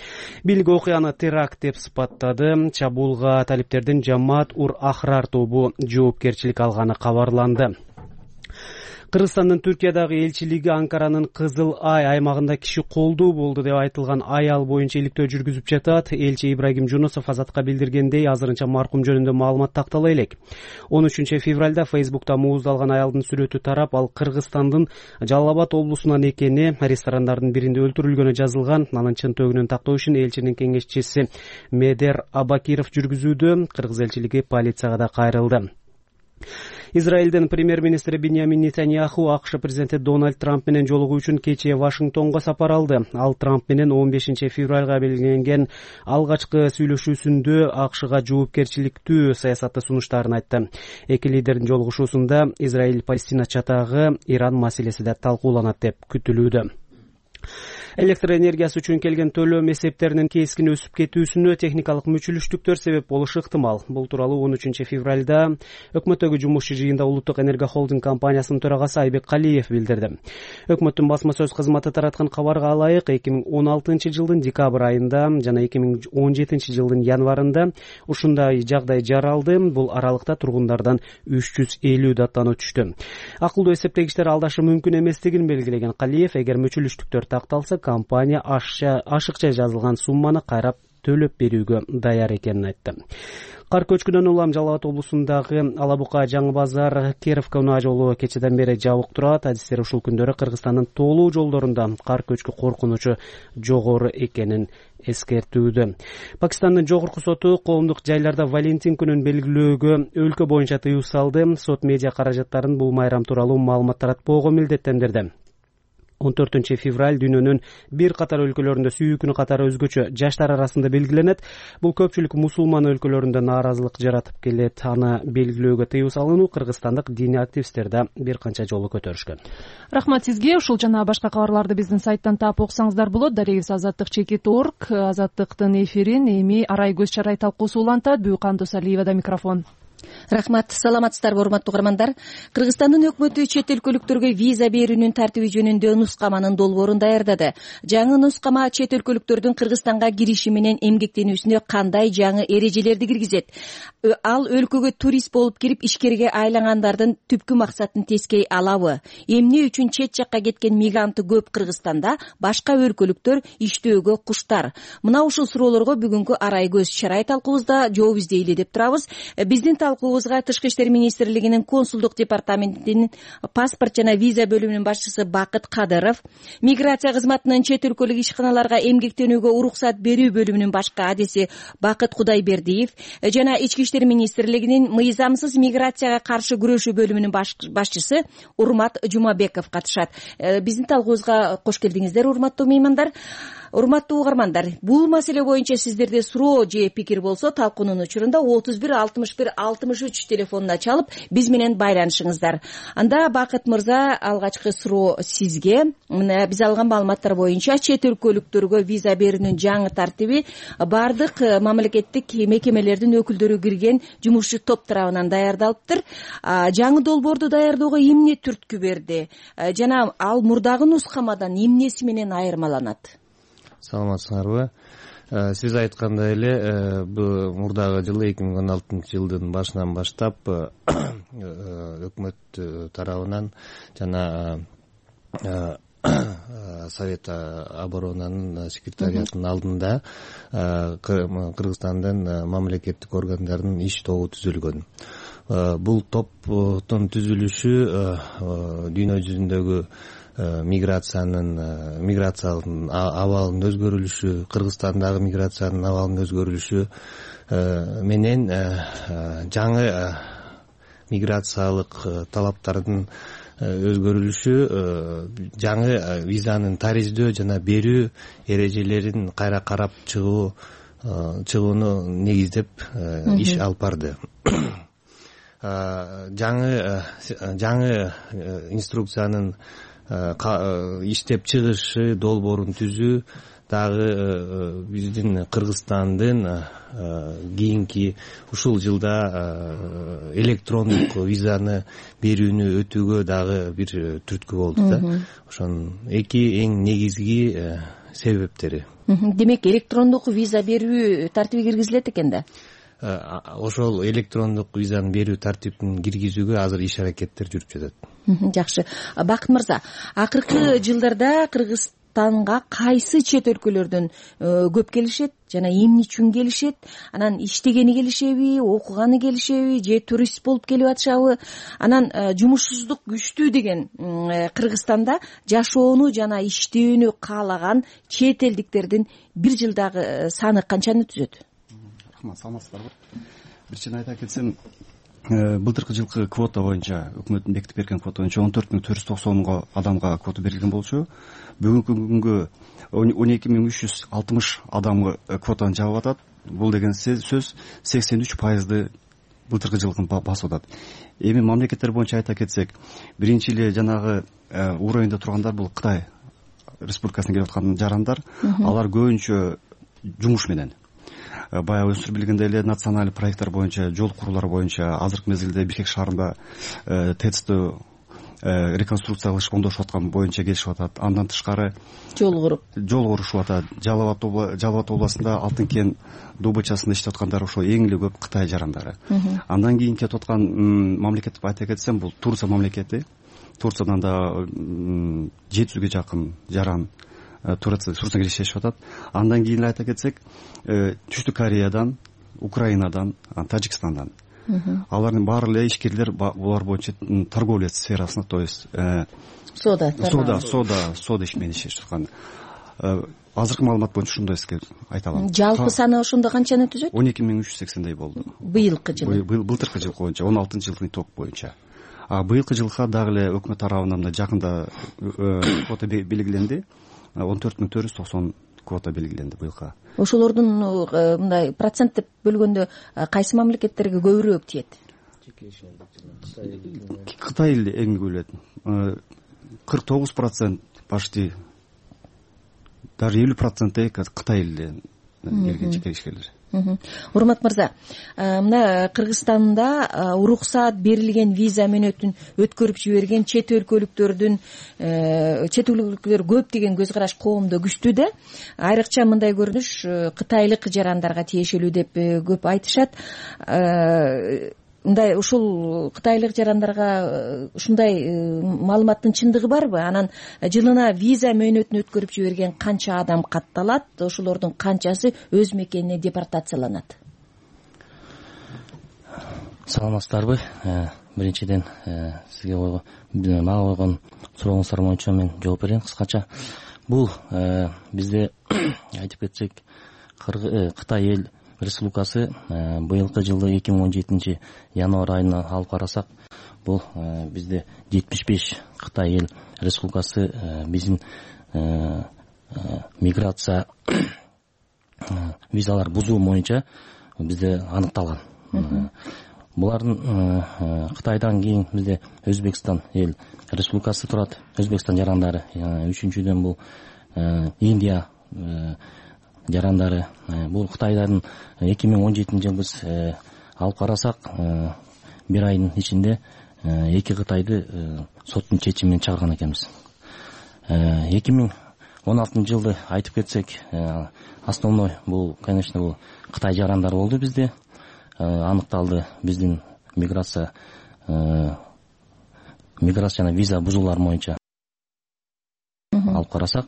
Бийлик окуяны теракт деп сыпаттады. Чабуулга талиптер Жамаат ур Ахрар тобу жоопкерчилик алганы кабарланды. Кыргызстандын Түркиядагы элчилиги Анкаранын Кызыл Ай аймагында киши колдуу болду деп айтылган аял боюнча иликтөө жүргүзүп жатат. Элчи Ибрагим Жунусов Азатка билдиргендей, азырынча маркум жөнүндө маалымат тактала элек. 13 февралда Фейсбукта мууздалган аялдын сүрөтү тарап, ал Кыргызстандын Жалал Абад облусунан экени, ресторандардын биринде өлтүрүлгөнү жазылган. Анын чын төгүнүн тактоо ишин элчинин кеңешчиси Медер Абакиров жүргүзүүдө. Кыргыз элчилиги полицияга да кайрылды. Израилдин премьер-министри Биньямин Нетаньяху АКШ президенти Дональд Трамп менен жолугуу үчүн кечээ Вашингтонго сапар алды. Ал Трамп менен 15 февралга белгиленген алгачкы сүйлөшүүсүндө АКШга жоопкерчиликтүү саясатты сунуштарын айтты. Эки лидердин жолугушуусунда Израиль-Палестина чатагы, Иран маселеси да талкууланат деп күтүлүүдө. Электр энергиясы үчүн келген төлөм эсептеринин кескин өсүп кетүүсүнө техникалык мүчүлүштүктөр себеп болушу ыктымал. Бул тууралуу 13 февралда өкмөттөгү жумушчу жыйында Улуттук энерго холдинг компаниясынын төрагасы Айбек Калиев билдирди. Өкмөттүн басма сөз кызматы тараткан кабарга ылайык, 2016 жылдын декабрь айында жана 2017 жылдын январында ушундай жагдай жаралды. Бул аралыкта тургундардан 350 даттануу түштү. Акылдуу эсептегичтер алдашы мүмкүн эместигин белгилеген Калиев, эгер мүчүлүштүктөр такталса, компания ашыкча жазылган сумманы кайрап төлөп берүүгө даяр экенин айтты. Кар көчкүнөн улам Жалал Абад облусундагы Алабука, Жаңы Базар, Керовка унаа жолу кечеден бери жабык турат. Адистер ушул күндөрү Кыргызстандын тоолуу жолдорунда кар көчкү коркунучу жогору экенин эскертүүдө. Пакистандын жогорку соту коомдук жайларда Валентин күнүн белгилөөгө өлкө боюнча тыюу салды. Сот медиа каражаттарын бул майрам тууралуу маалымат таратпоого милдеттендирди. 14 февраль дүйнөнүн бир катар өлкөлөрүндө сүйүү күнү катары өзгөчө жаштар арасында белгиленет. Бул көпчүлүк мусулман өлкөлөрүндө нааразылык жаратып келет. Аны белгилөөгө тыюу салынуу кыргызстандык диний активисттер да бир канча жолу көтөрүшкөн.
Рахмат сизге. Ушул жана башка кабарларды биздин сайттан таап окусаңыздар болот. Дарегибиз Азаттык.org. Азаттыктын эфирин эми арай көз чарай талкуусу улантат. Бүйкан Досалиевада микрофон.
Рахмат, саламатсыздарбы урматтуу угармандар? Кыргызстандын өкмөтү чет өлкөлүктөргө виза берүүнүн тартиби жөнүндө нускаманын долбоорун даярдады. Жаңы нускама чет өлкөлүктөрдүн Кыргызстанга кириши менен эмгектенүүсүнө кандай жаңы эрежелерди киргизет? Ал өлкөгө турист болуп кирип ишкерге айлангандардын түпкү максатын тескей алабы? Эмне үчүн чет жакка кеткен мигранты көп Кыргызстанда, башка өлкөлүктөр иштөөгө куштар? Мына ушул суроолорго бүгүнкү арай көз чарай талкуубузда жооп издейли деп турабыз. Биздин талкуубуз талкуубузга Тышкы иштер министрлигинин консулдук департаментинин паспорт жана виза бөлүмүнүн башчысы Бакыт Кадыров, миграция кызматынын чет өлкөлүк ишканаларга эмгектенүүгө уруксат берүү бөлүмүнүн башкы адиси Бакыт Кудайбердиев жана Ички иштер министрлигинин мыйзамсыз миграцияга каршы күрөшүү бөлүмүнүн башчысы Урмат Жумабеков катышат. Биздин талкуубузга кош келдиңиздер, урматтуу меймандар. Урматтуу угармандар, бул маселе боюнча сиздерде суроо же пикир болсо талкуунун учурунда 31 61 63 телефонуна чалып биз менен байланышыңыздар. Анда Бакыт мырза, алгачкы суроо сизге. Мына биз алган маалыматтар боюнча чет өлкөлүктөргө виза берүүнүн жаңы тартиби бардык мамлекеттик мекемелердин өкүлдөрү кирген жумушчу топ тарабынан даярдалыптыр. Жаңы долбоорду даярдоого эмне түрткү берди жана ал мурдагы нускамадан эмнеси менен айырмаланат?
Саламатсыңарбы? Сиз айткандай эле, бул мурдагы жылы 2016 жылдын башынан баштап өкмөт тарабынан жана Совет оборонанын секретариятынын алдында Кыргызстандын мамлекеттик органдарынын иш тобу түзүлгөн. Бул топтун түзүлүшү дүйнө жүзүндөгү миграциялык абалынын өзгөрүлүшү, Кыргызстандагы миграциянын абалынын өзгөрүлүшү менен жаңы миграциялык талаптардын өзгөрүлүшү жаңы визанын тариздөө жана берүү эрежелерин кайра карап чыгууну негиздеп иш алып барды. Жаңы инструкциянын иштеп чыгышы, долбоорун түзүү дагы биздин Кыргызстандын кийинки ушул жылда электрондук визаны берүүнү өтүүгө дагы бир түрткү болду да. Ошонун эки эң негизги себептери.
Демек, электрондук виза берүү тартиби киргизилет экен да?
Ошол электрондук визаны берүү тартибин киргизүүгө азыр иш аракеттер жүрүп жатат.
Жакшы. Бакыт мырза, акыркы жылдарда Кыргызстанга кайсы чет өлкөлөрдөн көп келишет жана эмне үчүн келишет? Анан иштегени келишеби, окуганы келишеби, же турист болуп келип атышабы? Анан жумушсуздук күчтүү деген Кыргызстанда жашоону жана иштөөнү каалаган чет элдиктердин бир жылдагы саны канчаны түзөт?
Саламатсыздарбы? Биринчиден айта кетсем, былтыркы жылкы квота боюнча, өкмөттүн бекитип берген квота боюнча 14.490 адамга квота берилген болчу. Бүгүнкү күнгө 12.360 адамга квотаны жабып атат. Бул деген сөз 83% былтыркы жылкын басып атат. Эми мамлекеттер боюнча айта кетсек, биринчи эле жанагы уровеньде тургандар бул Кытай Республикасына келип аткан жарандар. Алар көбүнчө жумуш менен, баягы өзүңүз билгендей эле националдык проекттер боюнча, жол курулар боюнча азыркы мезгилде Бишкек шаарында ТЭЦти реконструкция кылышып оңдошуп аткан боюнча келишип атат. Андан тышкары жол курушуп атат. Жалал Абад областында Алтынкен добычасында иштеп аткандар ошо эң эле көп Кытай жарандары. Андан кийин кетип аткан мамлекет деп айта кетсем, бул Турция мамлекети. Турциядан да 700ге жакын жаран Турцияга иштешип атат. Андан кийин айта кетсек, Түштүк Кореядан, Украинадан, Тажикстандан. Алардын баары эле ишкерлер булар боюнча торговля сферасында, то есть сода иш менен иштешип аткан. Азыркы маалымат боюнча ушундай айта алам.
Жалпы саны ошондо канчаны түзөт?
12.380 болду.
Быйылкы жылы.
Былтыркы жыл боюнча, 16-жылдын итог боюнча. Быйылкы жылга дагы эле өкмөт тарабынан да жакында квота белгиленди. 14.490 квота белгиленди быйылка. Ошолордун
мындай процент деп бөлгөндө кайсы мамлекеттерге көбүрөөк тиет?
Кытай эле эң көп элет. 49% почти, даже 50% Кытай эле келген жеке ишкерлер.
Урмат мырза, мына Кыргызстанда уруксаат берилген виза мөөнөтүн өткөрүп жиберген чет өлкөлүктөр көп деген көз караш коомдо күчтүү да. Айрыкча мындай көрүнүш кытайлык жарандарга тиешелүү деп көп айтышат. Мындай ушул кытайлык жарандарга ушундай маалыматтын чындыгы барбы? Анан жылына виза мөөнөтүн өткөрүп жиберген канча адам катталат? Ошолордун канчасы өз мекенине депортацияланат?
саламатсыздарбы? Биринчиден сизге мага койгон сурооңуздар боюнча мен жооп берейин кыскача. Бул бизде айтып кетсек Кытай эл республикасы быйылкы жылы 2017 январь айына алып карасак, бул бизде 75 Кытай эл республикасы биздин миграция визалар бузуу боюнча бизде аныкталган. Булардын Кытайдан кийин бизде Өзбекстан эл республикасы турат. Өзбекстан жарандары. Үчүнчүдөн бул Индия жарандары. Бул Кытайдардын 2017 жылы биз алып карасак, бир айдын ичинде 2 Кытайды соттун чечими менен чыгарган экенбиз. 2016 жылды айтып кетсек, основной бул, конечно, бул Кытай жарандары болду бизде. Аныкталды биздин миграция жана виза бузуулар боюнча алып карасак,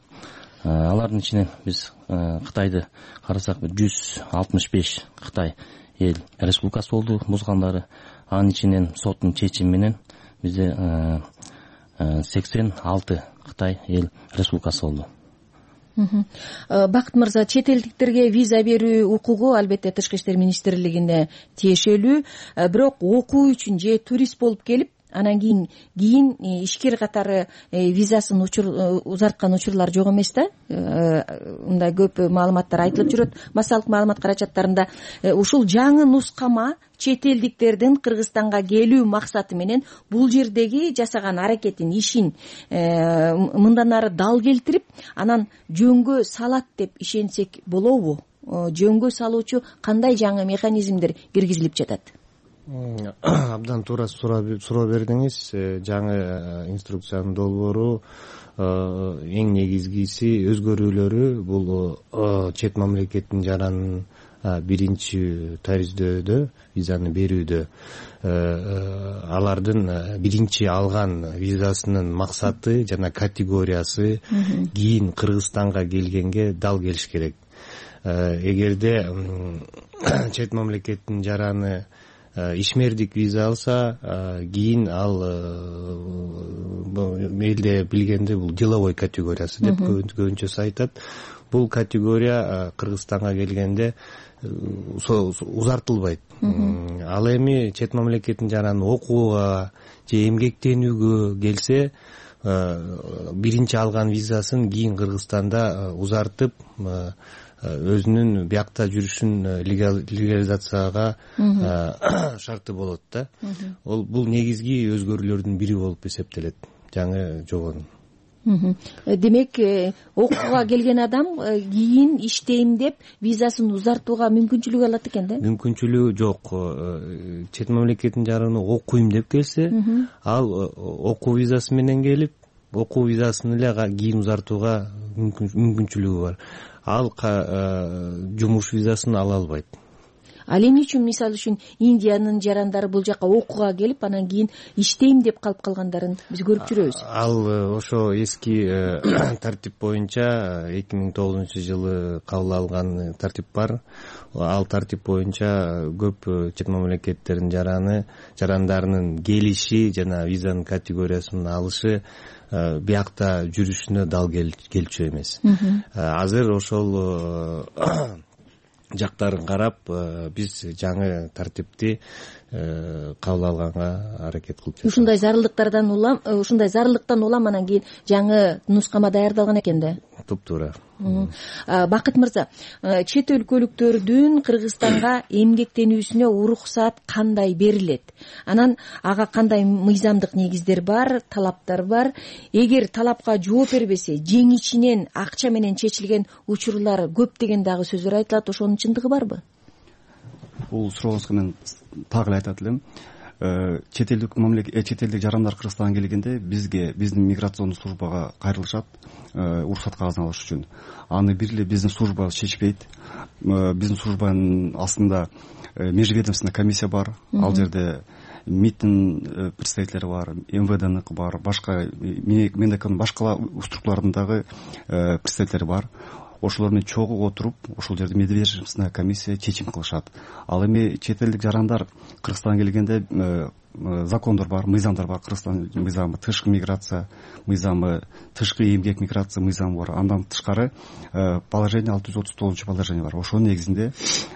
алардын ичинен биз Кытайды карасак 165 Кытай эл республикасы болду бузгандары. Анын ичинен соттун чечими менен бизде 86 Кытай эл республикасы болду.
Бакыт мырза, чет элдиктерге виза берүү укугу албетте Тышкы иштер министрлигине тиешелүү, бирок окуу үчүн же турист болуп келип, анан кийин ишкер катары визасын узарткан учурлар жок эмес да. Мындай көп маалыматтар айтылып жүрөт массалык маалымат каражаттарында. Ушул жаңы нускама чет элдиктердин Кыргызстанга келүү максаты менен бул жердеги жасаган аракетин, ишин мындан ары дал келтирип, анан жөнгө салат деп ишенсек болобу? Жөнгө салуучу кандай жаңы механизмдер киргизилип жатат?
Абдан туура суроо бердиңиз. Жаңы инструкциянын долбоору эң негизгиси өзгөрүүлөрү бул чет мамлекеттин жаранын биринчи тариздөдө, визаны берүүдө алардын биринчи алган визасынын максаты жана категориясы кийин Кыргызстанга келгенге дал келиш керек. Эгерде чет мамлекеттин жараны ишмердик виза алса, кийин ал элде билгенде бул деловой категориясы деп көбүнчөсү айтат. Бул категория Кыргызстанга келгенде узартылбайт. Ал эми чет мамлекеттин жараны окууга же эмгектенүүгө келсе, биринчи алган визасын кийин Кыргызстанда узартып, өзүнүн биякта жүрүшүн легализацияга шарты болот да. Бул негизги өзгөрүүлөрдүн бири болуп эсептелет жаңы жобонун.
Демек, окууга келген адам кийин иштейм деп визасын узартууга мүмкүнчүлүк алат экен да?
Мүмкүнчүлүгү жок. Чет мамлекеттин жараны окуйм деп келсе, ал окуу визасы менен келип, окуу визасын эле кийин узартууга мүмкүнчүлүгү бар. Ал жумуш визасын ала албайт.
Ал эмне үчүн, мисалы үчүн, Индиянын жарандары бул жака окууга келип, анан кийин иштейм деп калып калгандарын биз көрүп жүрөбүз.
Ал ошо эски тартип боюнча 2009 жылы кабыл алган тартип бар. Ал тартип боюнча көп чет мамлекеттердин жарандарынын келиши жана визанын категориясын алышы биякта жүрүшүнө дал келчү эмес. Азыр ошол жактарын карап, биз жаңы тартипти кабыл алганга аракет кылып жатабыз.
Ушундай зарылдыктан улам анан кийин жаңы нускама даярдалган экен да.
Туптуура.
Бакыт мырза, чет өлкөлүктөрдүн Кыргызстанга эмгектенүүсүнө уруксат кандай берилет? Анан ага кандай мыйзамдык негиздер бар, талаптар бар? Эгер талапка жооп бербесе, жең ичинен акча менен чечилген учурлар көп деген дагы сөздөр айтылат. Ошонун чындыгы барбы?
Бул сурооңузга мен так эле айтат элем. Чет элдик жарандар Кыргызстанга келгенде биздин миграциондук службага кайрылышат, уруксат кагазын алыш үчүн. Аны бир эле биздин служба чечпейт. Биздин службанын астында межведомственный комиссия бар. Ал жерде МИДтин представителери бар, МВДныкы бар, башка Мендеканын башка структураларындагы представителери бар. ошолор менен чогуу отуруп ошол жерде межведомственная комиссия чечим кылышат. Ал эми чет элдик жарандар Кыргызстанга келгенде закондор бар, мыйзамдар бар. Кыргызстан мыйзамы, тышкы миграция мыйзамы, тышкы эмгек миграция мыйзамы бар. Андан тышкары положение 639 положение бар. Ошонун негизинде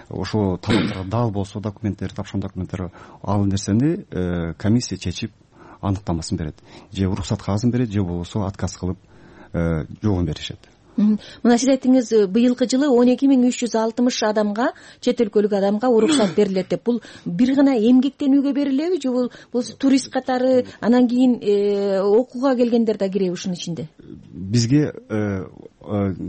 ошо талаптарга дал болсо документтер, тапшырма документтер, ал нерсени комиссия чечип аныктамасын берет. Же уруксат кагазын берет, же болбосо отказ кылып жообун беришет.
Мына сиз айттыңыз, быйылкы жылы 12.360 адамга, чет өлкөлүк адамга уруксат берилет деп. Бул бир гана эмгектенүүгө берилеби же бул турист катары, анан кийин окууга келгендер да киреби ушунун ичинде?
Бизге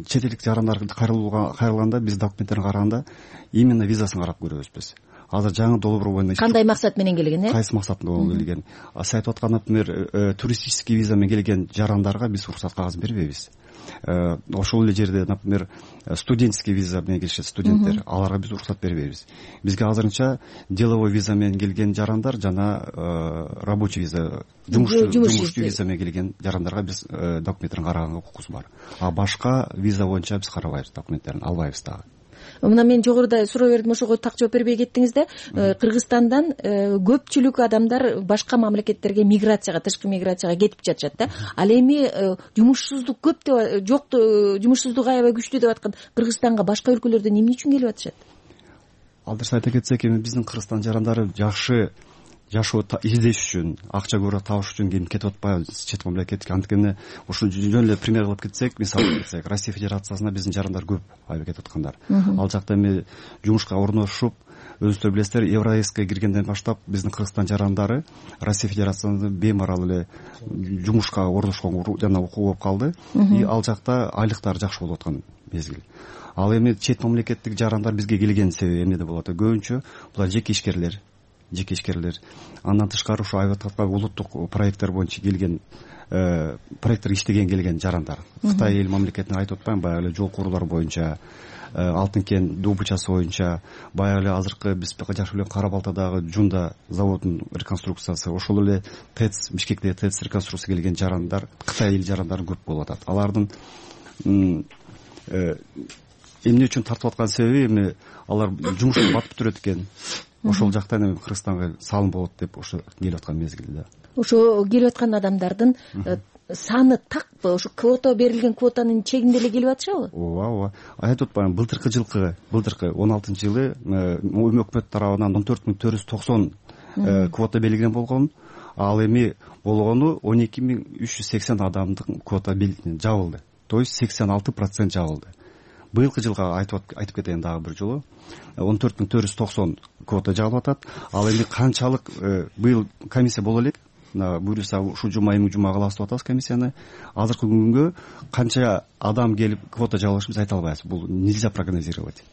чет элдик жарандар кайрылганда биз документтерин караганда именно визасын карап көрөбүз биз. Азыр жаңы долбоор боюнча
кандай максат менен келген,
кайсы максат менен келген? Сиз айтып аткан, например, туристический виза менен келген жарандарга биз уруксат кагазын бербейбиз. Ошол эле жерде, например, студенческий виза менен келишет студенттер, аларга биз уруксат бербейбиз. Бизге азырынча деловой виза менен келген жарандар жана рабочий виза, жумушчу виза менен келген жарандарга биз документтерин караганга укугубуз бар. А башка виза боюнча биз карабайбыз, документтерин албайбыз дагы.
Мына мен жогоруда суроо бердим, ошого так жооп бербей кеттиңиз да. Кыргызстандан көпчүлүк адамдар башка мамлекеттерге миграцияга, тышкы миграцияга кетип жатышат да. Ал эми жумушсуздук көп деп, жок, жумушсуздук аябай күчтүү деп аткан Кыргызстанга башка өлкөлөрдөн эмне үчүн келип атышат?
Ал дұрыс айта кетсек, эми биздин Кыргызстан жарандары жакшы жашоо издеш үчүн, акча көбүрөөк табыш үчүн кетип атпайбы чет мамлекетке. Анткени ушул жөн эле пример кылып кетсек, мисал кетсек, Россия Федерациясына биздин жарандар көп айып кетип аткандар. Ал жакта эми жумушка орношуп, өзүңүздөр билесиздер, Евразийская киргенден баштап биздин Кыргызстан жарандары Россия Федерациясында беймарал эле жумушка орношкон жана окуу болуп калды. И ал жакта айлыктар жакшы болуп аткан мезгил. Ал эми чет мамлекеттик жарандар бизге келген себеби эмнеде болот? Көбүнчө булар жеке ишкерлер. Андан тышкары ушу айып аткан улуттук проекттер боюнча келген, проекттер иштеген келген жарандар. Кытай эл мамлекетине айтып атпайм, баягы эле жол курулар боюнча, Алтын кен добычасы боюнча, баягы эле азыркы биз жакшы билген Кара Балтадагы Жунда заводунун реконструкциясы, ошол эле ТЭЦ, Бишкектеги ТЭЦ реконструкция келген жарандар, Кытай эл жарандары көп болуп атат. Алардын эмне үчүн тартып аткан себеби, эми алар жумушка батып жүрөт экен. Ошол жактан эми Кыргызстанга салым болот деп ошо келип аткан мезгилде.
Ошо келип аткан адамдардын саны такпы? Ошо квота берилген квотанын чегинде эле келип атышабы?
Ооба. Айтып атпаймынбы, былтыркы 16-жылы өкмөт тарабынан 14.490 квота белгилеген болгон. Ал эми болгону 12.380 адамдын квота жабылды. То есть 86% жабылды. Быйылкы жылга айтып кетейин дагы бир жолу. 14.490 квота жабылып атат. Ал эми канчалык быйыл комиссия боло элек, буюрса ушул жума эми жума кылабыз деп атабыз комиссияны. Азыркы күнгө канча адам келип квота жабылышын биз айта албайбыз. Бул нельзя прогнозировать.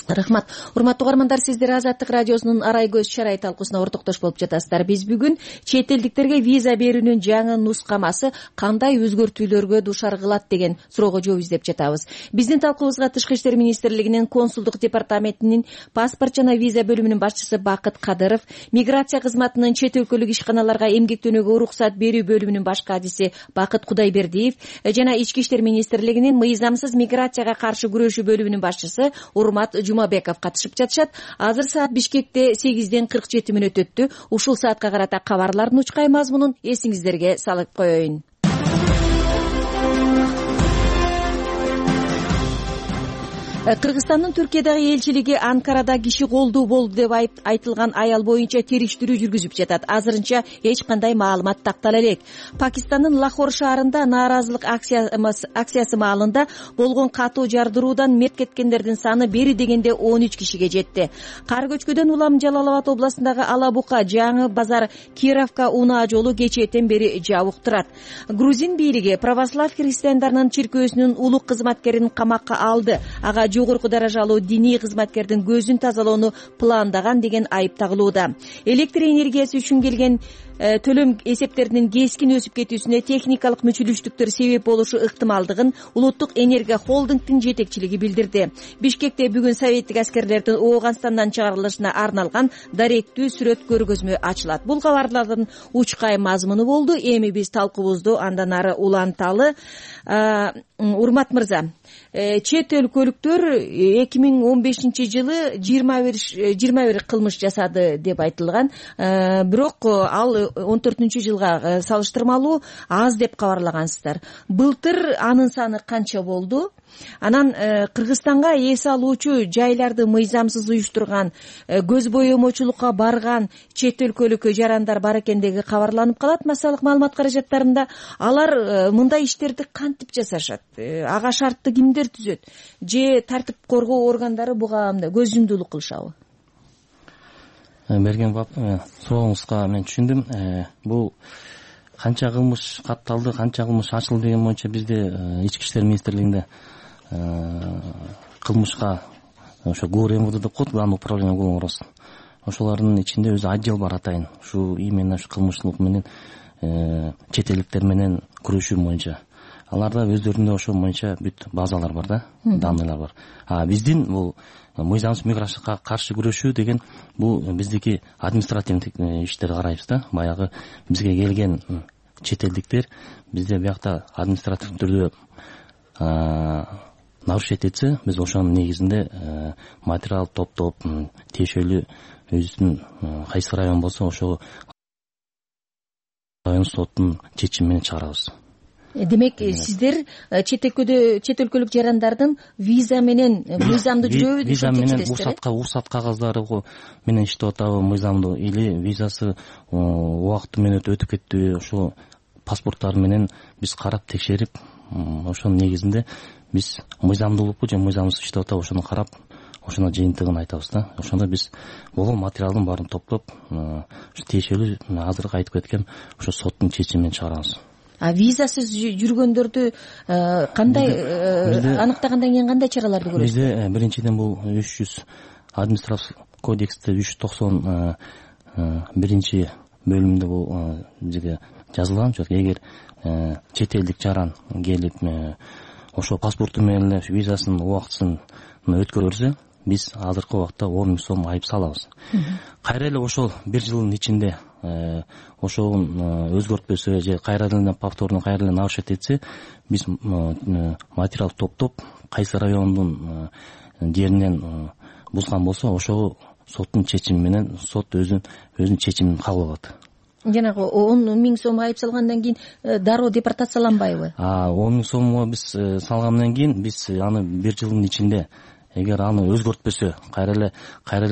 Рахмат. Урматтуу угармандар, сиздер Азаттык радиосунун арай көз чарай талкуусуна ортоктош болуп жатасыздар. Биз бүгүн чет элдиктерге виза берүүнүн жаңы нускамасы кандай өзгөртүүлөргө дуушар кылат деген суроого жооп издеп жатабыз. Биздин талкуубузга Тышкы иштер министрлигинин консулдук департаментинин паспорт жана виза бөлүмүнүн башчысы Бакыт Кадыров, миграция кызматынын чет өлкөлүк ишканаларга эмгектенүүгө уруксат берүү бөлүмүнүн баш кадиси Бакыт Кудайбердиев жана Ички иштер министрлигинин мыйзамсыз миграцияга каршы күрөшүү бөлүмүнүн башчысы Урмат Жумабеков катышып жатышат. Азыр саат Бишкекте 8:47 өттү. Ушул саатка карата кабарлардын учкай мазмунун эсиңиздерге салып коеюн. Кыргызстандын Түркиядагы элчилиги Анкарада киши колдуу болду деп айтылган аял боюнча териштирүү жүргүзүп жатат. Азырынча эч кандай маалымат тактала элек. Пакистандын Лахор шаарында нааразылык акциясы маалында болгон катуу жардыруудан мерт кеткендердин саны бери дегенде 13 кишиге жетти. Кар көчкөдөн улам Жалал-Абад областындагы Алабука, Жаңы базар, Кировка унаа жолу кечээден бери жабык турат. Грузин бийлиги православ христиандарынын чиркөөсүнүн улук кызматкерин камакка алды. Ага жогорку даражалуу диний кызматкердин көзүн тазалоону пландаган деген айып тагылууда. Электр энергиясы үчүн келген төлөм эсептеринин кескин өсүп кетүүсүнө техникалык мүчүлүштүктөр себеп болушу ыктымалдыгын Улуттук энергия холдингдин жетекчилиги билдирди. Бишкекте бүгүн советтик аскерлердин Ооганстандан чыгарылышына арналган даректүү сүрөт көргөзмө ачылат. Бул кабарлардын учкай мазмуну болду. Эми биз талкуубузду андан ары уланталы. Урмат мырза, чет өлкөлүктөр 2015-жылы 21 кылмыш жасады деп айтылган. Бирок ал 14-жылга салыштырмалуу аз деп кабарлагансыздар. Былтыр анын саны канча болду? Анан Кыргызстанга эс алуучу жайларды мыйзамсыз уюштурган, көз боемочулукка барган чет өлкөлүк жарандар бар экендиги кабарланып калат массалык маалымат каражаттарында. Алар мындай иштерди кантип жасашат? Ага шартты кимдер түзөт? Же тартип коргоо органдары буга көз жумдуулук кылышабы?
Берген сурооңузга мен түшүндүм. Бул канча кылмыш катталды, канча кылмыш ачылды деген боюнча бизде Ички иштер министрлигинде кылмышка ошо ГУР-МВД деп коет, Главное управление уголовных розысков. Ошолордун ичинде өзү отдел бар атайын. Ушу именно ушу кылмыштуулук менен чет элдиктер менен күрөшүү боюнча. Аларда өздөрүндө ошол боюнча бүт базалар бар да, данныйлар бар. Биздин бул мыйзамсыз миграцияга каршы күрөшүү деген бул биздики административдик иштерди карайбыз да. Баягы бизге келген чет элдиктер бизде биякта административдик түрдө нарушить этсе, биз ошонун негизинде материал топтоп, тиешелүү өзүнүн кайсы район болсо ошол район соттун чечими менен чыгарабыз.
Демек, сиздер чет өлкөлүк жарандардын виза менен мыйзамдуу жүрөбү деп чечесиздер?
Уруксат кагаздары менен иштеп атабы мыйзамдуу, или визасы убакыты менен өтүп кетти, ошо паспорттары менен биз карап текшерип, ошонун негизинде биз мыйзамдуулукпу же мыйзамсыз иштеп атабы ошону карап, ошонун жыйынтыгын айтабыз да. Ошондо биз болгон материалдын баарын топтоп, тиешелүү азыркы айтып кеткен ошо соттун чечими менен чыгарабыз.
Визасыз жүргөндөрдү кандай аныктагандан кийин кандай чараларды көрөсүз?
Бизде биринчиден бул 300 административдик кодексте 391 бөлүмдө бул жерге жазылган. Эгер чет элдик жаран келип ошо паспорту менен эле визасын убактысын өткөрө берсе, биз азыркы убакта 10 000 сом айып салабыз. Кайра эле ошол 1 жылдын ичинде ошол өзгөртпөсө же кайра эле повторно кайра эле нарушить этсе, биз материал топтоп, кайсы райондун жеринен бузган болсо, ошол соттун чечими менен сот өзүнүн чечимин кабыл алат.
Жанагы 10 000 сом айып салгандан кийин дароо депортацияланбайбы?
10 000 сомго биз салгандан кийин биз аны 1 жылдын ичинде эгер аны өзгөртпөсө, кайра эле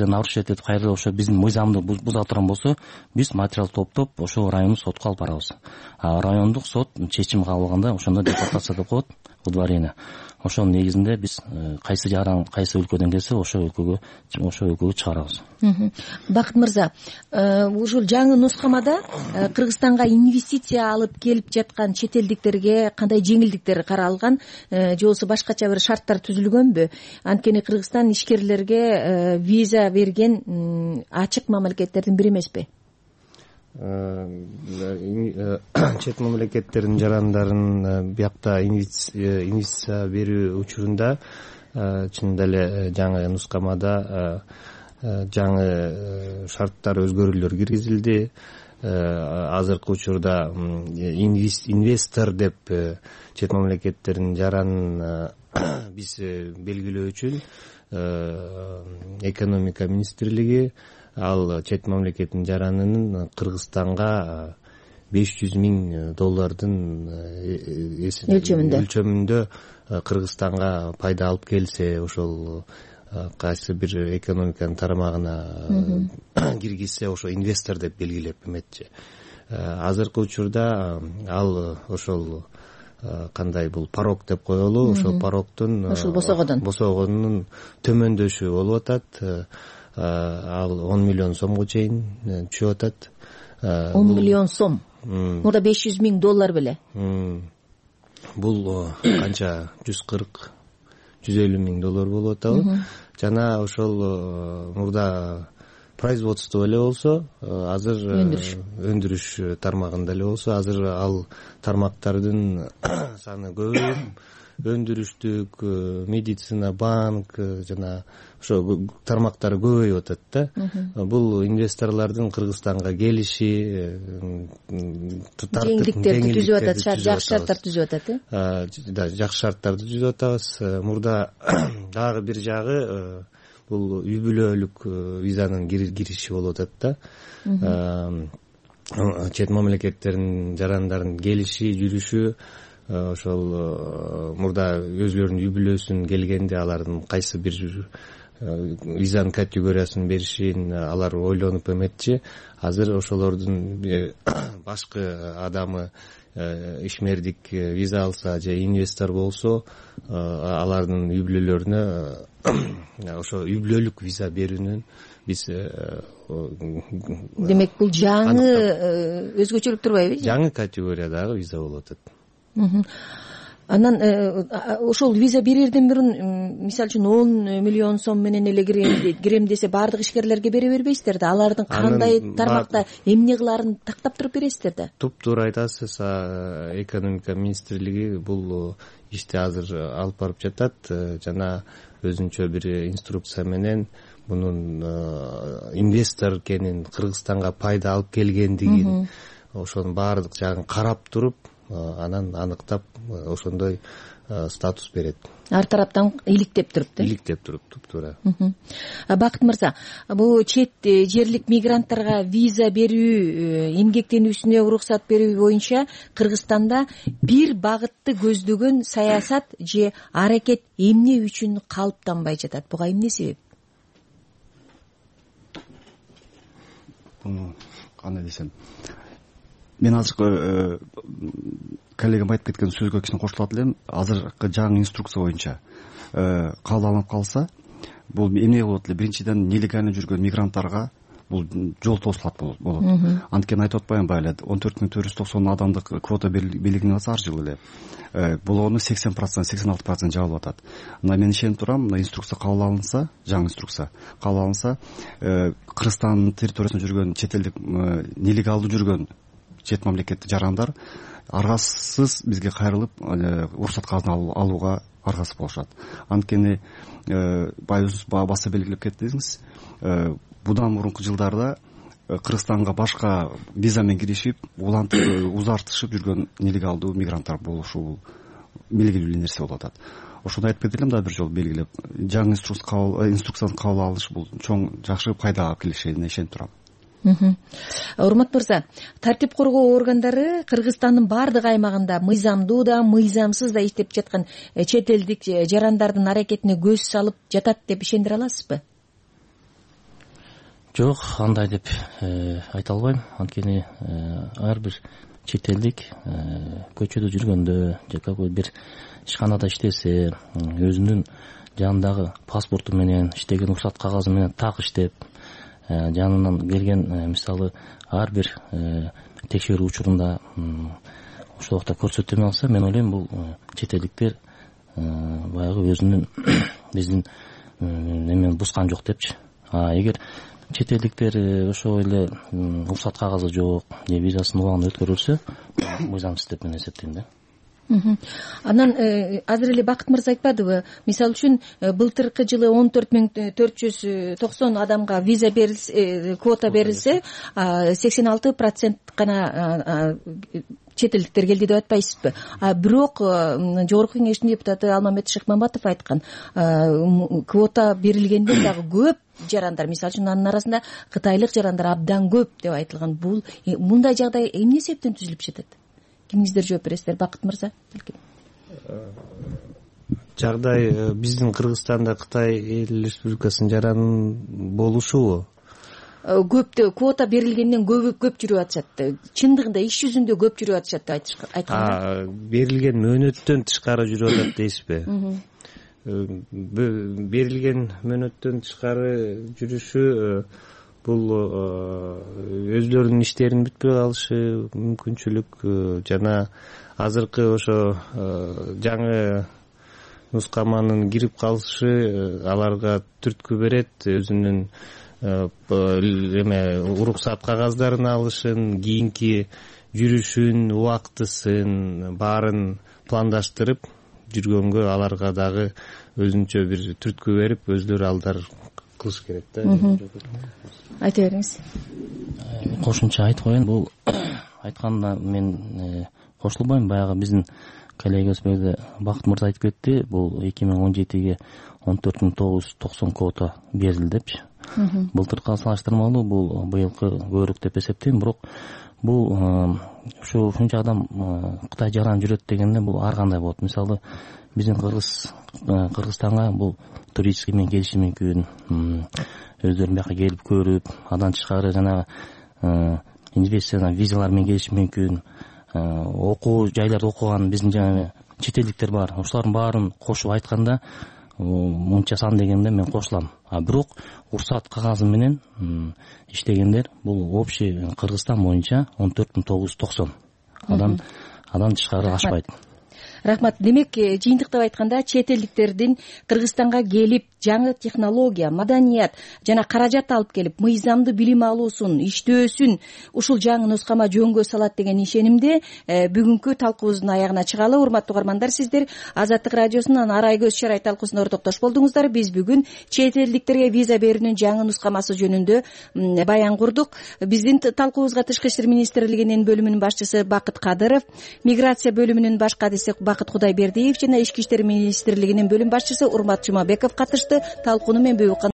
нарушить этип, кайра эле ошо биздин мыйзамды буза турган болсо, биз материал топтоп ошол райондук сотко алып барабыз. Райондук сот чечим кабыл алганда ошондо депортация деп коет, удворение. Ошонун негизинде биз кайсы жаран, кайсы өлкөдөн келсе, ошол өлкөгө чыгарабыз.
Бакыт мырза, ушул жаңы нускамада Кыргызстанга инвестиция алып келип жаткан чет элдиктерге кандай жеңилдиктер каралган, же болбосо башкача бир шарттар түзүлгөнбү? Анткени Кыргызстан ишкерлерге виза берген ачык мамлекеттердин бири эмеспи?
Чет мамлекеттердин жарандарын биякта инвестиция берүү учурунда чынында эле жаңы нускамада жаңы шарттар, өзгөрүүлөр киргизилди. Азыркы учурда инвестор деп чет мамлекеттердин жаранын биз белгилөө үчүн экономика министрлиги ал чет мамлекеттин жаранынын Кыргызстанга $500 000 өлчөмүндө Кыргызстанга пайда алып келсе, ошол кайсы бир экономиканын тарамагына киргизсе, ошо инвестор деп белгилеп эметчи. Азыркы учурда ал ошол кандай бул порог деп коелу, ошол порогдун, ошол босогонунун төмөндөшү болуп атат. Ал 10 миллион сомго чейин түшүп атат.
10 миллион сом. Мурда $500 000 беле.
Бул канча 140 $150,000 болуп атабы. Жана ошол мурда производство эле болсо, азыр өндүрүш тармагында эле болсо, азыр ал тармактардын саны көбөйүп, өндүрүштүк, медицина, банк жана ошо тармактар көбөйүп атат да. Бул инвесторлордун Кыргызстанга келиши,
жеңилдиктерди түзүп атат, жакшы шарттар түзүп атат,
жакшы шарттарды түзүп атабыз. Мурда дагы бир жагы бул үй бүлөлүк визанын кириши болуп атат да. Чет мамлекеттердин жарандардын келиши, жүрүшү, ошол мурда өзлөрүнүн үй бүлөсүн келгенде алардын кайсы бир визанын категориясын беришин алар ойлонуп эметчи. Азыр ошолордун башкы адамы ишмердик виза алса же инвестор болсо, алардын үй бүлөлөрүнө ошо үй бүлөлүк виза берүүнүн биз
демек бул жаңы өзгөчөлүк турбайбы?
Жаңы категориядагы виза болуп атат.
Анан ошол виза берерден мурун мисалы үчүн 10 миллион сом менен эле кирем десе баардык ишкерлерге бере бербейсиздер да. Алардын кандай тармакта эмне кылаарын тактап туруп бересиздер да.
Туптуура айтасыз. Экономика министрлиги бул ишти азыр алып барып жатат. Жана өзүнчө бир инструкция менен мунун инвестор экенин, Кыргызстанга пайда алып келгендигин, ошонун баардык жагын карап туруп, анан аныктап ошондой статус берет.
Ар тараптан иликтеп туруп да.
Иликтеп туруп, туптуура.
Бакыт мырза, бул чет жерлик мигранттарга виза берүү, эмгектенүүсүнө уруксат берүү боюнча Кыргызстанда бир багытты көздөгөн саясат же аракет эмне үчүн калыптанбай жатат? Буга эмне себеп?
Кандай десем, мен азыркы коллегам айтып кеткен сөзгө кичине кошулат элем. Азыркы жаңы инструкция боюнча кабыл алынып калса, бул эмне болот эле? Биринчиден, нелегально жүргөн мигранттарга бул жол тосулат болот. Анткени айтып атпаймынбы эле, 14,490 адамдык квота белгиленип атса ар жылы эле. Болгону 80%, 86% жабылып атат. Мына мен ишенип турам, мына инструкция кабыл алынса, жаңы инструкция кабыл алынса, Кыргызстандын территориясында жүргөн чет элдик нелегалдуу жүргөн чет мамлекеттик жарандар аргасыз бизге кайрылып уруксат кагазын алууга аргасыз болушат. Анткени байыбыз баса белгилеп кеттиңиз, будан мурунку жылдарда Кыргызстанга башка виза менен киришип, узартышып жүргөн нелегалдуу мигранттар болушу белгилүү нерсе болуп атат. Ошону айтып кетелем да бир жолу белгилеп. Жаңы инструкцияны кабыл алыш бул чоң жакшы пайда алып келишине ишенип турам.
Урмат мырза, тартип коргоо органдары Кыргызстандын баардык аймагында мыйзамдуу да, мыйзамсыз да иштеп жаткан чет элдик жарандардын аракетине көз салып жатат деп ишендире аласызбы?
Жок, андай деп айта албайм. Анткени ар бир чет элдик көчөдө жүргөндө же какой бир ишканада иштесе, өзүнүн жанындагы паспорту менен, иштеген уруксат кагазы менен так иштеп, жанынан келген мисалы ар бир текшерүү учурунда ошол убакта көрсөтө алса, мен ойлойм бул чет элдиктер баягы өзүнүн биздин эмени бускан жок депчи. Эгер чет элдиктер ошол эле уруксат кагазы жок же визасын убагында өткөрүлсө, мыйзамсыз деп мен эсептейм да.
Анан азыр эле Бакыт мырза айтпадыбы, мисалы үчүн былтыркы жылы 14,490 адамга виза берилсе, квота берилсе, 86% гана чет элдиктер келди деп атпайсызбы? Бирок жогорку кеңештин депутаты Алмамет Шыкмамбатов айткан, квота берилгенден дагы көп жарандар, мисалы үчүн анын арасында кытайлык жарандар абдан көп деп айтылган. Бул мындай жагдай эмне себептен түзүлүп жатат? Кимиңиздер жооп бересиздер? Бакыт мырза.
Жагдай биздин Кыргызстанда Кытай Эл Республикасынын жаранын болушубу?
Көптө квота берилгенден көп жүрүп атышат. Чындыгында иш жүзүндө көп жүрүп атышат деп айткандар.
Берилген мөөнөттөн тышкары жүрүп атат дейсизби? Берилген мөөнөттөн тышкары жүрүшү бул өзлөрүнүн иштерин бүтпөй калышы мүмкүнчүлүк жана азыркы ошо жаңы нускаманын кирип калышы аларга түрткү берет, өзүнүн уруксат кагаздарын алышын, кийинки жүрүшүн, убактысын баарын пландаштырып жүргөнгө аларга дагы өзүнчө бир түрткү берип, өздөрү алдар кылыш керек да.
Айта бериңиз.
Кошумча айтып коеюн, бул айтканына мен кошулбайм. Баягы биздин коллегабыз бул Бакыт мырза айтып кетти, бул 2017-ге 14.990 квота берилди депчи. Былтыркыга салыштырмалуу бул быйылкы көбүрөөк деп эсептейм, бирок бул ушунча адам Кытай жаран жүрөт дегенде бул ар кандай болот. Мисалы биздин Кыргызстанга бул туристтик менен келиши мүмкүн, өздөрү бияка келип көрүп, андан тышкары жана инвестициялар, визалар менен келиши мүмкүн, окуу жайларда окуган биздин жана чет элдиктер бар. Ошолордун баарын кошуп айтканда мынча сан дегенде мен кошулам. Бирок уруксат кагазы менен иштегендер бул общий Кыргызстан боюнча 14.990 андан тышкары ашпайт.
Рахмат. Демек, жыйынтыктап айтканда чет элдиктердин Кыргызстанга келип жаңы технология, маданият жана каражат алып келип, мыйзамдуу билим алуусун, иштөөсүн ушул жаңы нускама жөнгө салат деген ишенимде бүгүнкү талкуубуздун аягына чыгалы. Урматтуу угармандар, сиздер Азаттык радиосунун Арай көз чарай талкуусуна ортоктош болдуңуздар. Биз бүгүн чет элдиктерге виза берүүнүн жаңы нускамасы жөнүндө баян курдук. Биздин талкуубузга Тышкы иштер министрлигинин бөлүмүнүн башчысы Бакыт Кадыров, миграция бөлүмүнүн баш кадиси Бакыт Кудайбердиев жана Ички иштер министрлигинин бөлүм башчысы Урмат Жумабеков катышты. Талкууну мен